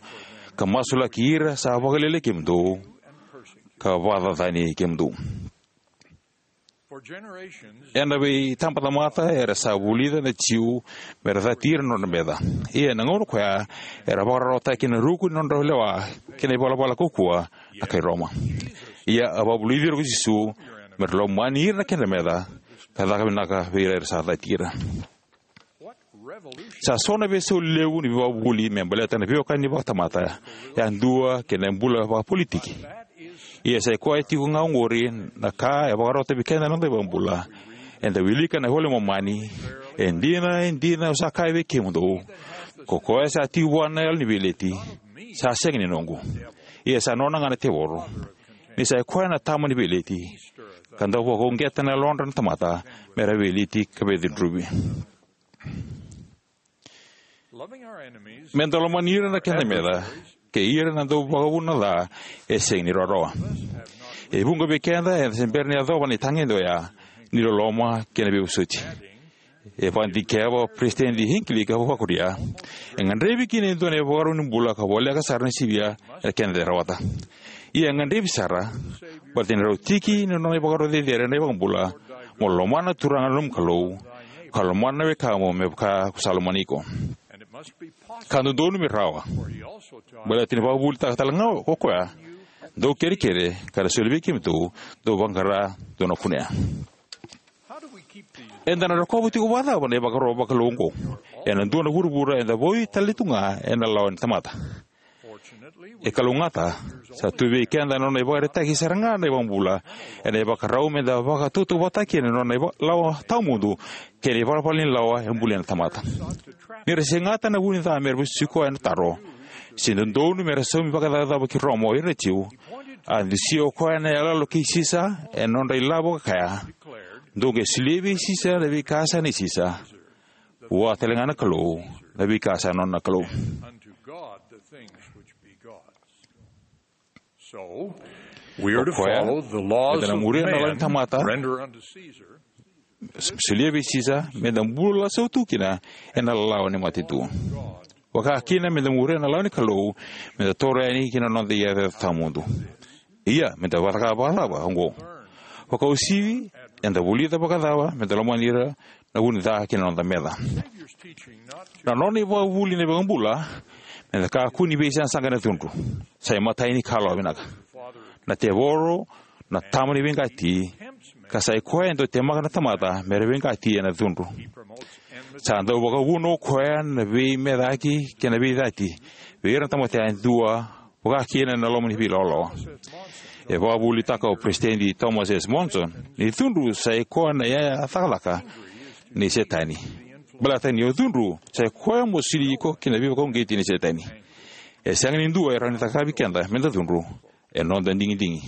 ka masulaki ira sa vakalialiai kemudou ka vakacacani kemudou. Ena veitabatamata era sa vulica na Jiu me ra cati ira na nodra meca. Ia ena gauna koya era vakararawataki ena ruku ni nodra lewa kei na ivalavala kaukauwa na kai Roma. Ia a vakavulici ira ko Jisu me ra lomani ira na kedra meca ka caka vinaka vei ira era sa cati ira. Sa so na veisau levu ni veivakavuvuli me baleta na veiwekani vakatamata yadua kei na bula vakapolitiki. Ia sa i koya tiko ga oqori na ka e vakarota vei keda na noda iVakabula. Eda wilika na iVola i Momani: E dina, e dina, au sa kaya vei kemudou, ko koya sa tiko vua na yalo ni veileti, sa sega ni noqu. Ia sa nona ga na tevoro, ni sa i koya na tama ni veileti, ka dau vakauqeta na yalodra na tamata me ra veileti ka veicudruvi. Me da lomani ira na keda meca kei ira na dau vakavuna na ca e sega ni rawarawa. E vuqa vei keda eda se bera ni yacova na itagede oya ni loloma kei na veivosoti. E vakadikeva o Peresitedi Hinckley ka vakuria, e gadrevi kina e dua na ivakarau ni bula ka voleka sara ni sivia ena keda rawata. Ia e gadrevi sara, baleta ni rau tiki ni nona ivakarau cecere na iVakabula, mo lomana na Turaga na nomu Kalou, ka lomana na wekamu me vaka ko sa lomani iko. Ka dodonu me rawa, baleta ni vakavuvulitaka tale ga o koya, dou kerekere, ka na soli vei kemudou, dou vaqara, dou na kunea. Eda na rokova tiko vakacava na ivakaro vakalou oqo? Ena dua na vuravura eda vou tale tu ga ena lawa ni tamata. E kalougata, sa tu vei keda na nona ivakaraitaki sara ga na iVakabula ena ivakarau meda vakatautauvatataka kina na nona iva-, lawa tawamudu kei na ivalavala ni lawa e bulia na tamata. Ni ra segata na vu ni ca me ra vesuki koya ena taro, se dodonu me ra saumi vakacavacava ki Roma o ira na Jiu, a dusia o koya na iyaloyalo kei Sisa ena nodra ilavo ka kaya, dou qai solia vei Sisa na veika sa nei Sisa, vua tale ga na Kalou na veika sa nona na Kalou. Unto God the things which be God's. So, we are to follow the laws of man, render unto Caesar. Solia vei Sisa, meda bula sautu kina ena lawa ni matanitu. Vaka kina meda muria na lawa ni Kalou, meda toro yani ki na noda iyacoyaco tawamudu. Ia, meda vakacava oqo? Vakauasivi, eda vulica vakacava meda lomani ira na vu ni ca ki na noda meca. Na nona ivakavuvuli na iVakabula, meda kakua ni veisaqasaqa ena cudru. Sa imatai ni ka loa vinaka. Na tevoro, na tama ni veiqati, ka sa i koya e dau temaka na tamata me ra veiqati ena cudru. Sa dau vakavuna o koya na veimecaki kei na veicati vei ira na tamata yadua, vaka kina na loma ni veilawalawa. E vakavuvulitaka o Peresitedi Thomas S. Monson ni cudru sa i koya na iyaya cakacaka ni Setani. Baleta ni o cudru, sa i koya mo soli iko ki na veivakauqeti ni Setani. E sega ni dua e rawa ni cakavi keda meda cudru, e noda digidigi.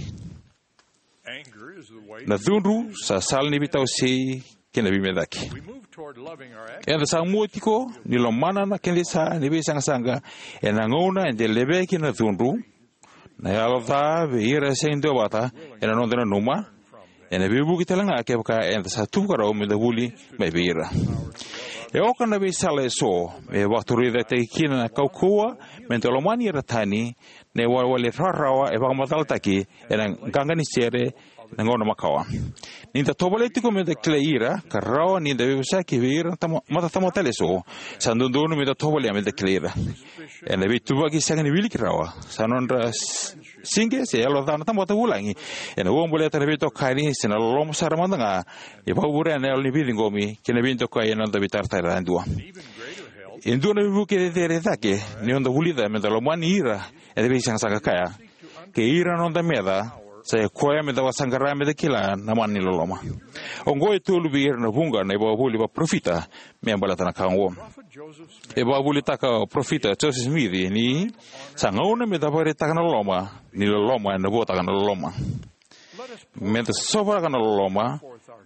Na cudru sa sala ni veitawasei kei na veimecaki. Eda sa mua tiko ni lomana na keda isa ni veisaqasaqa ena gauna eda levea kina na cudru, na yalo ca vei ira e sega ni duavata, ena noda nanuma, ena veivuke tale ga kevaka eda sa tuvakarau meda vuli mai vei ira. E oka na veisala eso me vakaturaicataki kina na kaukauwa meda lomani ira tani, na iwalewale rawarawa e vakamacalataki ena qaqa ni sere na gauna makawa. Ni da tovolea tiko meda kilai ira, ka rawa ni da veivosaki vei ira na tama-, matatamata tale eso, sa dodonu meda tovolea meda kilai ira. Ena veituvaki sega ni wiliki rawa, sa nodra s-, sige se yalo ca na tamata vulagi, ena ua baleta na veitokani se na loloma sara mada ga, e vakavurea na yalo ni veiciqomi kei na veidokai ena noda veitaratara yadua. E dua na veivuke cecere cake ni noda vulica meda lomani ira eda veisaqasaqa kaya, kei ira na noda meca, sa i koya meda vakasaqara meda kila na mana ni loloma. Oqo e tolu vei ira na vuqa na ivakavuvuli vakaparofita me baleta na ka oqo. E vakavuvulitaka o Parofita Joseph Smith ni sa gauna meda vakaraitaka na loloma, ni loloma ena vuataka na loloma. Meda sovaraka na loloma,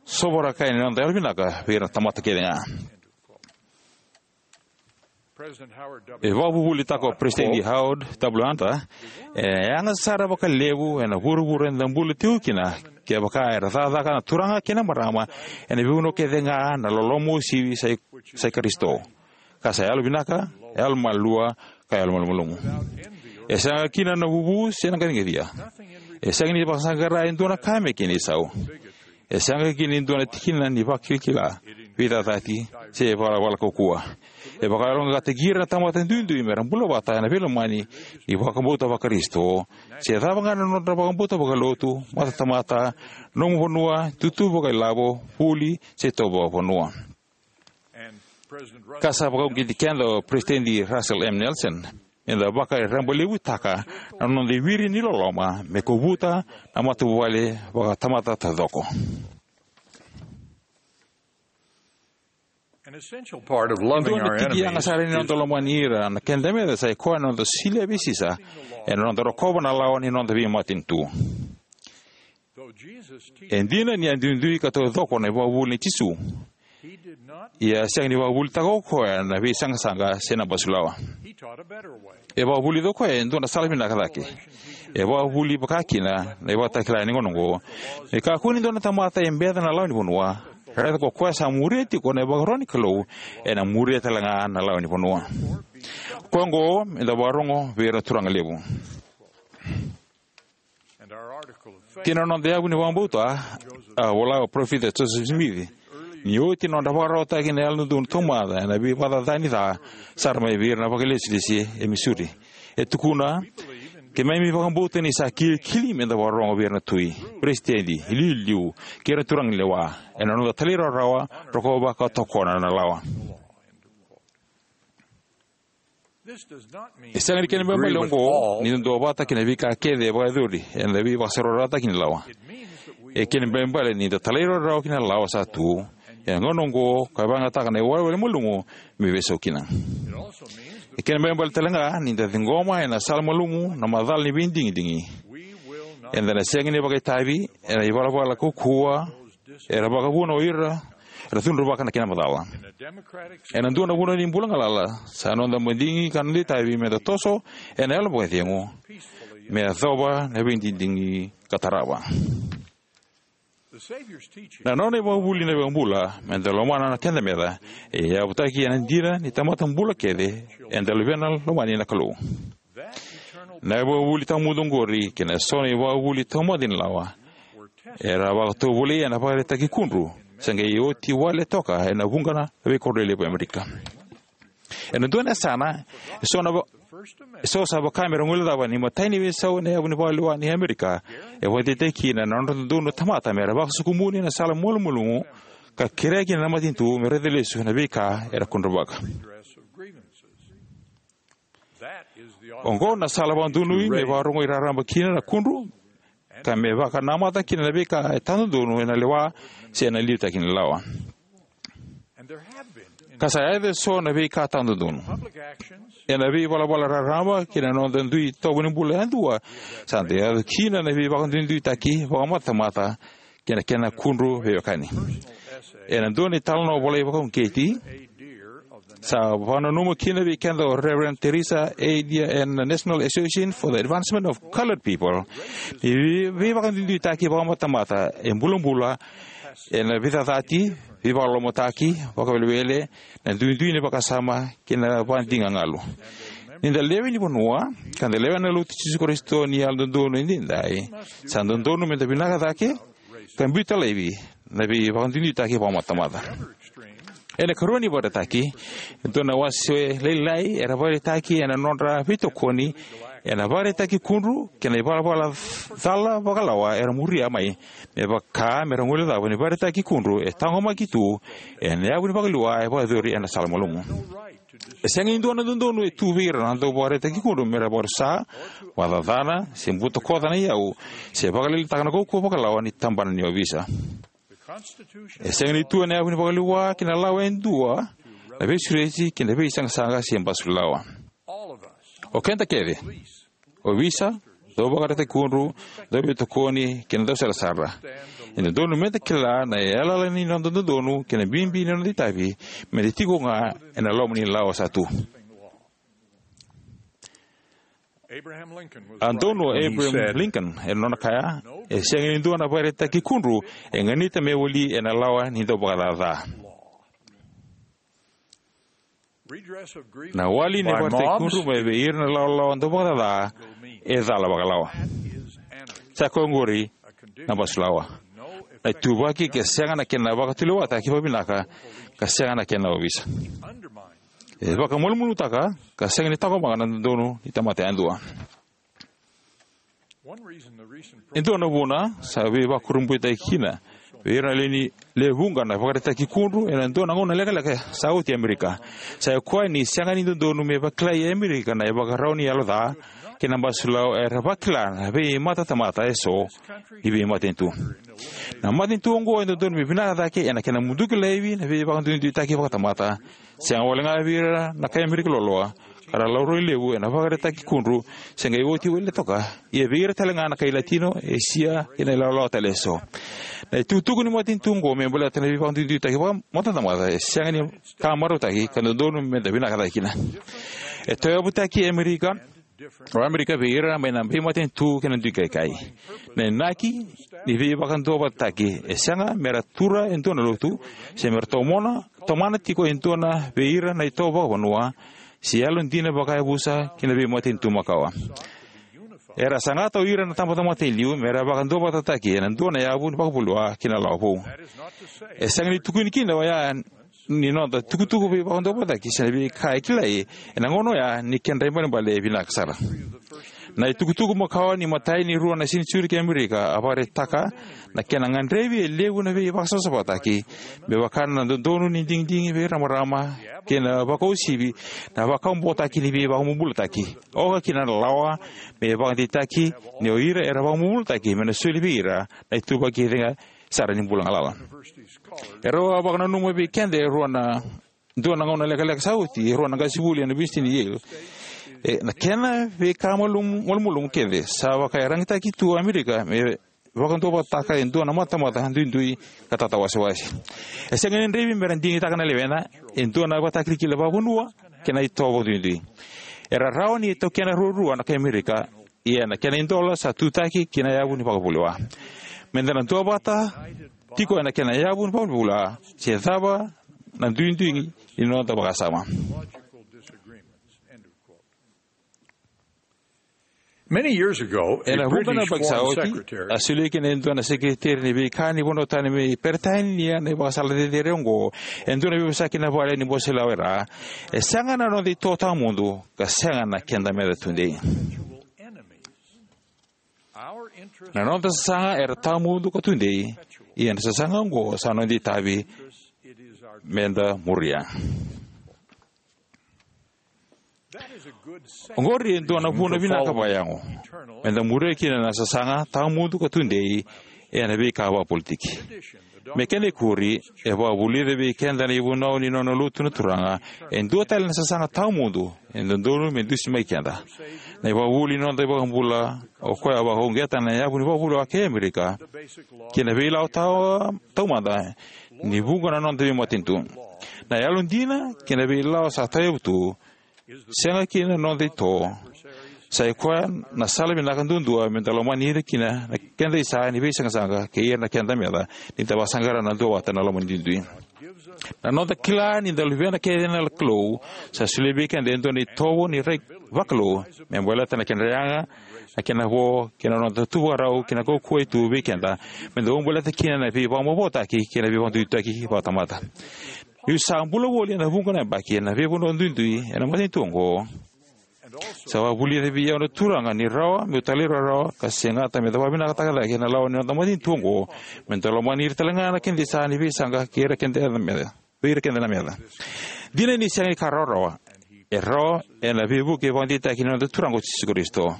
sovaraka yani na noda yalovinaka vei ira na tamata kece ga. E vakavuvulitaka o Peresitedi Howard W. Hunter, e yaga sara vakalevu ena vuravura eda bula tiko kina, kevaka era cakacaka na turaga kei na marama ena veivanua kece ga na loloma uasivi sa i, sa i Karisito, ka sa yalovinaka, yalomalua, ka yalomalumalumu. E sega kina na vuvu se na qaciqacia. E sega ni vakasaqara e dua na ka me kena isau. E sega kina e dua na tikina ni vakilakila, veicacati, se valavala kaukauwa. E vakayaloqaqataki ira na tamata duidui mera bula vata ena veilomani ni vakabauta vaKarisito, se cava ga na nodra vakabauta vakalotu, matatamata, nomu vanua, tutu vakailavo, vuli, se itovo vakavanua. Ka sa vakauqeti keda o Peresitedi Russell M. Nelson, eda vakarabailevutaka na noda iviri ni loloma me kovuta na matavuvale vakatamata taucoko. An essential part of loving our enemies is... Dua na tiki yaga sara ni noda lomani ira na keda meca sa i koya na noda solia vei Sisa ena noda rokova na lawa ni noda veimatanitu. E dina ni a duidui ka taucoko na ivakavuvuli nei Jisu, ia a sega ni vakavuvulitaka o koya na veisaqasaqa se na basulawa. E vakavulica o koya e dua na sala vinaka cake. E vakavuvuli vakakina na ivakatakila ni gauna oqo. Me kakua ni dua na tamata e beca na lawa ni vanua, Raica ko koya sa muria tiko na ivakaro ni Kalou, ena muria tale ga na lawa ni vanua. Koya oqo me da vakarogo vei ira na turaga levu. Kei na noda yavu ni vakabauta, a vola o Parofita Joseph Smith, ni oti na nodra vakararawataki na Yalododonu Taumada ena veivakacacani ca sara mai vei ira na vakailesilesi e Missouri. E tukuna, keimami vakabauta ni sa kilikili me da vakarogo vei ira na tui, peresitedi, iliuliu, kei ira na turaganilewa, ena noda talairawarawa, rokovaka, tokona na lawa. E sega ni kena ibalebale oqo ni da duavata kei na veika kece e vakayacori ena veivakasarautaki ni lawa. E kena ibalebale ni da talairawarawa ki na lawa sa tu ena gauna oqo, ka vakayagataka na iwalewale malumu me veisau kina. E kena ibalebale tale ga ni da ciqoma ena sala malumu na macala ni veidigidigi. Eda na sega ni vakaitavi ena ivalavala kaukauwa era vakavuna o ira era cudruvaka na kena macala. Ena dua na vanua ni bula galala, sa noda madigi ka noda itavi me da toso ena yalo vakacegu me yacova na veidigidigi ka tarava. Na nona ivakavuvuli na iVakabula me da lomana na keda meca e yavutaki ena dina ni tamata bula kece eda luvena lomani na Kalou. Na ivakavuvuli tawamudu oqori kei na so na ivakavuvuli taumada ni lawa era vakatovolei ena vakaraitaki kudru se qai oti wale toka ena vuqa na veikoro lelevu e Amerika. Ena dua na yasana, e so na va-, e so sa vaka me ra guilecava ni imatai ni veisau ena yavu ni vakaliwa ni Amerika e vakadeitaki kina na nodra dodonu na tamata me ra vakasokumuni na sala malumalumu ka kerea kina na matanitu me raica lesu na veika era kudruvaka. Oqo na sala vakadonui me vakarogoi raraba kina na kudru ka me vakanamata kina na veika e tadodonu ena lewa se ena liutaki ni lawa. Ka sa yaco e so na veika tadodonu ena veivalavala raraba kei na noda dui itovo ni bula yadua, sa da yaco kina na veivakaduiduitaki vakamatamata kei na kena kudru veiwekani. Ena dua na italanoa volai vakauqeti, sa vakananuma kina vei keda o Reverend Teresa A. Deer ena National Association for the Advancement of Colored People ni vei-, veivakaduiduitaki vakamatamata e bulabula ena veicacati, veivakalolomataki, vakawelewele, na duidui ni vakasama kei na vakadigagalu. Ni da lewe ni vanua ka da lewena na Lotu i Jisu Karisito ni Yalododonu Edaidai, sa dodonu me da vinaka cake ka biuta laivi na veivakaduiduitaki vakamatamata. Ena ikarua ni vakaraitaki, e dua na wase lailai era vakaraitaki ena nodra veitokoni ena vakaraitaki kudru kei na ivalavala cala vakalawa era muria mai, me vaka me ra guilecava ni vakaraitaki kudru e taqomaki tu ena yavu ni vakaliwa e vakayacori ena sala malumu. E sega ni dua na dodonu e tu vei ira na dauvakaraitaki kudru me ra vakarusa, vakacacana, se butakoca na iyau, se vakalailaitaka na kaukauwa vakalawa ni tabana ni ovisa. E sega ni tu ena yavu ni vakaliwa kei na lawa e dua na veisureti kei na veisaqasaqa se basu lawa. O keda kece, ovisa, dauvakaraitaki kudru, dauveitokoni kei na dausarasara, e dodonu me da kila na yalayala ni noda dodonu kei na bibi ni noda itavi me da tiko ga ena loma ni lawa sa tu. A donu o Abraham Lincoln ena nona kaya, e sega ni dua na vakaraitaki kudru e ganita me wali ena lawa ni dauvakacaca. Na wali ni vakaraitaki kudru mai vei ira na lawalawa dauvakacaca e cala vakalawa. Sa koya oqori na basu lawa. Na ituvaki ke sega na kena vakatulewataki vakavinaka ka sega na kena ovisa. E vakamalumalumutaka ka sega ni taqomaka na dodonu ni tamata yadua. E dua na vuna sa veivakurabuitaki kina vei ira na lewe ni, lewe vuqa na vakaraitaki kudru ena dua na gauna lekaleka sa oti e Amerika, sa i koya ni sega ni dodonu me vakilai e Amerika na ivakarau ni yalo ca kei na basu lawa era vakila na veimatatamata eso ni veimatanitu. Na matanitu oqo e dodonu me vinaka cake ena kena muduki laivi na veivakaduiduitaki vakatamata, sega wale ga vei ira na kai Amerika loloa ka ra laurai levu ena vakaraitaki kudru se qai oti wale toka, ia vei ira tale ga na kai Latino, Esia kei na ilawalawa tale eso. Na itukutuku ni matanitu oqo me baleta na veivakaduiduitaki vakamatamata e sega ni ka marautaki ka dodonu me da vinaka cake kina. E tauyavutaki e Amerika o Amerika vei ira mai na veimatanitu kei na duikaikai. Na inaki ni veivakaduavatataki e sega me ra tura e dua na lotu, se me ra tomona, tomana tiko e dua na vei ira na itovo vakavanua, se yalodina vakayavusa ki na veimatanitu makawa. Era sagata o ira na tamata mata e liu me ra vakaduavatataki ena dua na yavu ni vakavuliwa ki na lawa vou. E sega ni tukuni kina oya ni noda tukutuku veivakaduavatataki se na veika e kilai ena gauna oya ni kedra ibalebale e vinaka sara. Na itukutuku makawa ni matai ni rua na senijiuri kei Amerika a vakaraitaka na kena gadrevi e levu na veivakasavasavataki, me vaka na dodonu ni digidigi veiramarama kei na vakauasivi, na vakabobotaki ni veivakabobulataki, oka kina na lawa me vakadeitaki ni o ira era vakabobulataki me na soli vei ira na ituvaki cega sara ni bula galala. E rau a vakananuma vei keda e rua na dua na gauna lekaleka sa oti e rua na qasenivuli ena Univesiti ni Yale. E, na kena veika malum-, malumalumu kece sa vakaiyaragitaki tu o Amerika me vakaduavatataka e dua na matamata duidui ka tatawasewase. E sega ni gadrevi me ra digitaka na lewena e dua na ivakatakilakila vakavanua kei na itovo duidui. Era rawa ni taukena ruarua na kai Amerika, ia na kena idola sa tutaki ki na yavu ni vakavuliwa. Meda na duavata tiko ena kena yavu ni vakavuliwa, se cava na duidui ni noda vakasama. Many years ago, a Ena vuqa na British yabaki sa foreign oti, secretary a solia kina e dua na sekeriteri ni veika ni vanua tani mai Peritania na ivakasala cecere oqo, e dua na veivosaki na vale ni bose lawa e ra: E sega na noda ito tawamudu, ka sega na keda meca tudei. Na noda sasaga era tawamudu ka tudei, ia na sasaga oqo sa noda itavi meda muria. Oqori e dua na vuna vinaka vakayago meda muria kina na sasaga tawamudu ka tudei ena veika vakapolitiki. Me kena ikuri, e vakavulica vei keda na ivunau ni nona lotu na Turaga e dua tale na sasaga tawamudu e dodonu me dusimaki keda. Na ivakavuvuli ni noda iVakabula, o koya a vakauqeta na yavu ni vakavuliwa kei Amerika kei na veilawa tau-, taumada ni vuqa na noda veimatanitu. Na yalodina kei na veilawa sa tawayavu tu, sega kina na noda ito, sa i koya na sala vinaka duadua meda lomani ira kina na keda isa ni veisaqasaqa kei ira na keda meca, ni da vakasaqara na duavata na lomani duidui. Na noda kila ni da luvena kece na Kalou, sa solia vei keda e dua na itovo ni rai vakalou me baleta na kena yaga, na kena vo, kei na noda tu vakarau kei na kaukauwa e tu vei keda meda vakabaleta kina na veivakaboboataki kei na veivakaduiduitaki vakatamata. Niu sa bula voli ena vuqa na yabaki ena veivanua duidui ena matanitu oqo, sa vakavulica vei au na Turaga ni rawa meu talairawarawa ka segata meda vakavinakataka cake na lawa ni noda matanitu oqo, meda lomani ira talega na keda isa ni veisaqa kei ira keda na meca, vei ira keda na meca. Dina ni sega ni ka rawarawa, e rawa ena veivuke vakadeitaki ni noda Turaga o Jisu Karisito.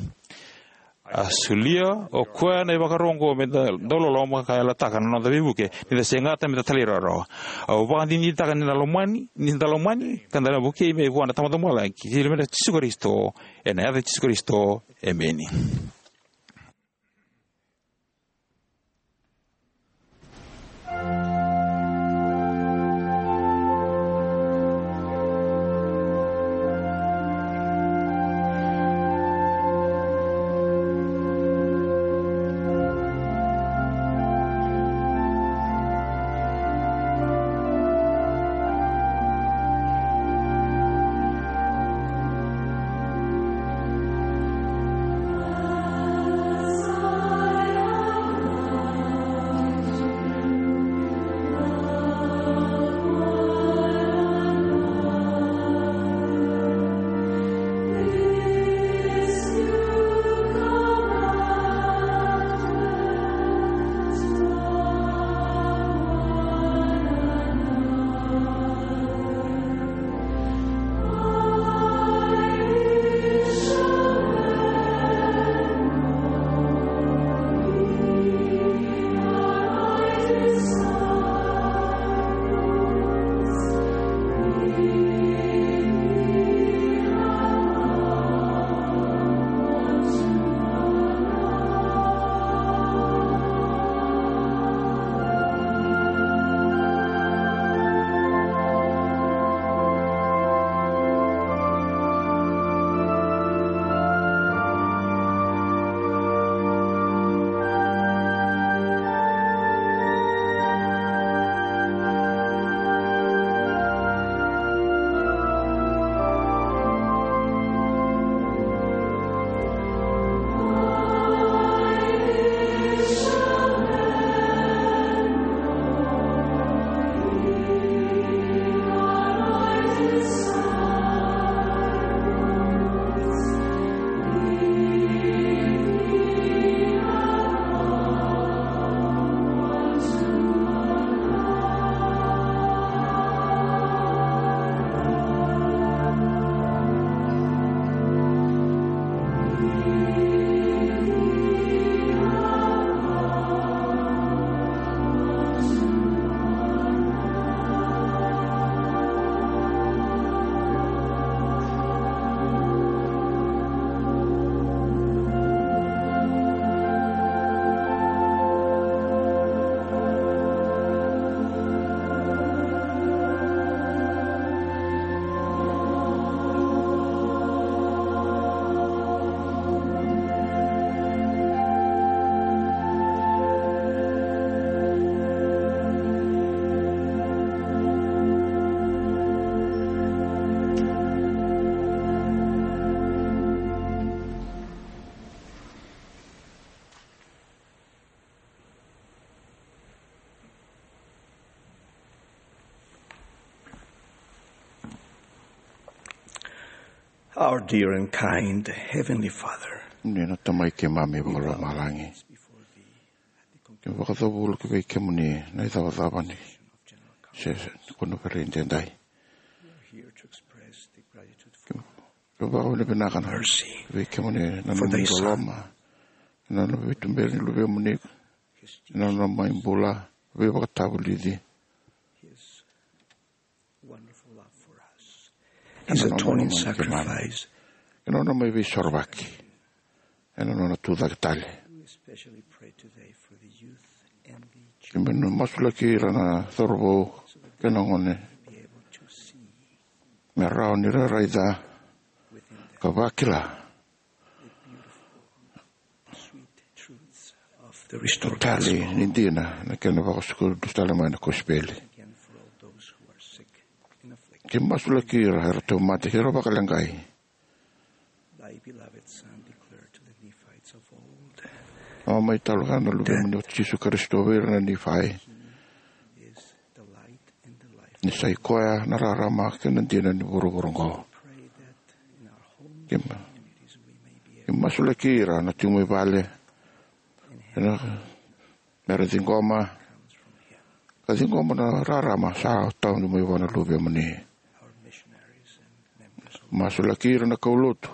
A solia o koya na ivakaro oqo meda dau loloma ka yalataka na noda veivuke ni da segata meda talairawarawa. Au vakadinadinataka ni na lomani, ni da lomani ka da na vukei mai vua na Tamada Vakalomalagi, kei na Luvena o Jisu Karisito, ena yaca i Jisu Karisito, emeni. Our dear and kind Heavenly Father, ni na Tamai keimami vakalomalagi, ke vakacavulu ki vei kemuni na icavacava ni se, se, ni koniferedi edaidai. Ke vakavinavinaka na ki vei kemuni na nomu loloma, na nomu veituberi ni luvemuni, na nona mai bula, veivakatavulici. His wonderful love for us. His atoning sacrifice. Ena nona mai veisorovaki. Ena nona tucake tale. We especially pray today for the youth and the children. Keimami na masulaki ira na cauravou kei na gone. Be able to see me rawa ni ra raica ka vakila the beautiful, sweet truths of the restored gospel. Tali ni dina na kena vakasuka dusi tale mai na kosipeli. Again, for all those who are sick and afflicted. Keimami masulaki ira era tauvimate, era vakaleqai. Thy beloved Son declared to the Nephites of old, a mai talo ga na luvemuni o Jisu Karisito vei ira na Nifai. He is the light and the life. Ni sa i koya na rarama kei na dina ni vuravura oqo. Pray that in our home communities we may be able, keimami masulaki ira na tiko mai vale, ena, me ra ciqoma, ka ciqoma na rarama sa tau mai vua na luvemuni. Our missionaries and members of, masulaki ira na kaulotu.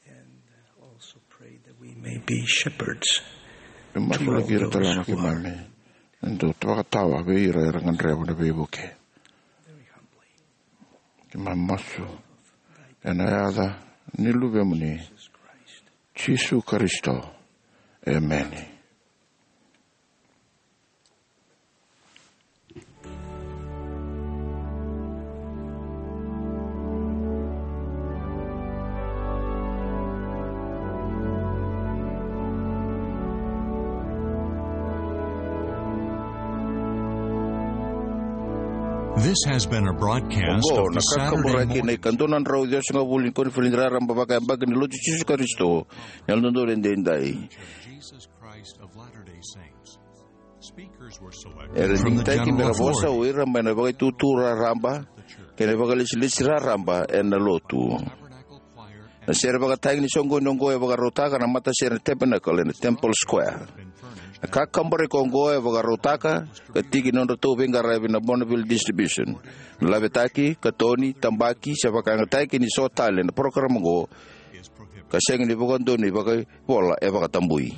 And also pray that we may be shepherds. Keimami masulaki ira tale ga na keimami, eda dau vakatawa vei ira era gadreva na veivuke. Very humbly. Keimami masu ena yaca ni luvemuni, Jesus Christ. Jisu Karisito. Emeni. This has been a broadcast of the Saturday morning. Oqo na kakaburaki na ikadua na drau ciwasagavulu ni koniferedi raraba vakayabaki ni Lotu Jisu Karisito ni Yalododonu Edaidai. Jesus Christ of Latter-day Saints. Era digitaki me ra vosa o ira mai na vakaitutu raraba kei na vakalesilesi raraba ena lotu. Na sere vakatagi ni soqoni oqo e vakarautaka na matasere na Tabernacle ena Temple Square. Na kakaburaki oqo e vakarautaka ka tiki ni nodratou veiqaravi na Bonneville Distribution. Na lavetaki, katoni, tabaki se vakayagataki ni so tale na parokaramu oqo ka sega ni vakadonui vakaivola e vakatabui.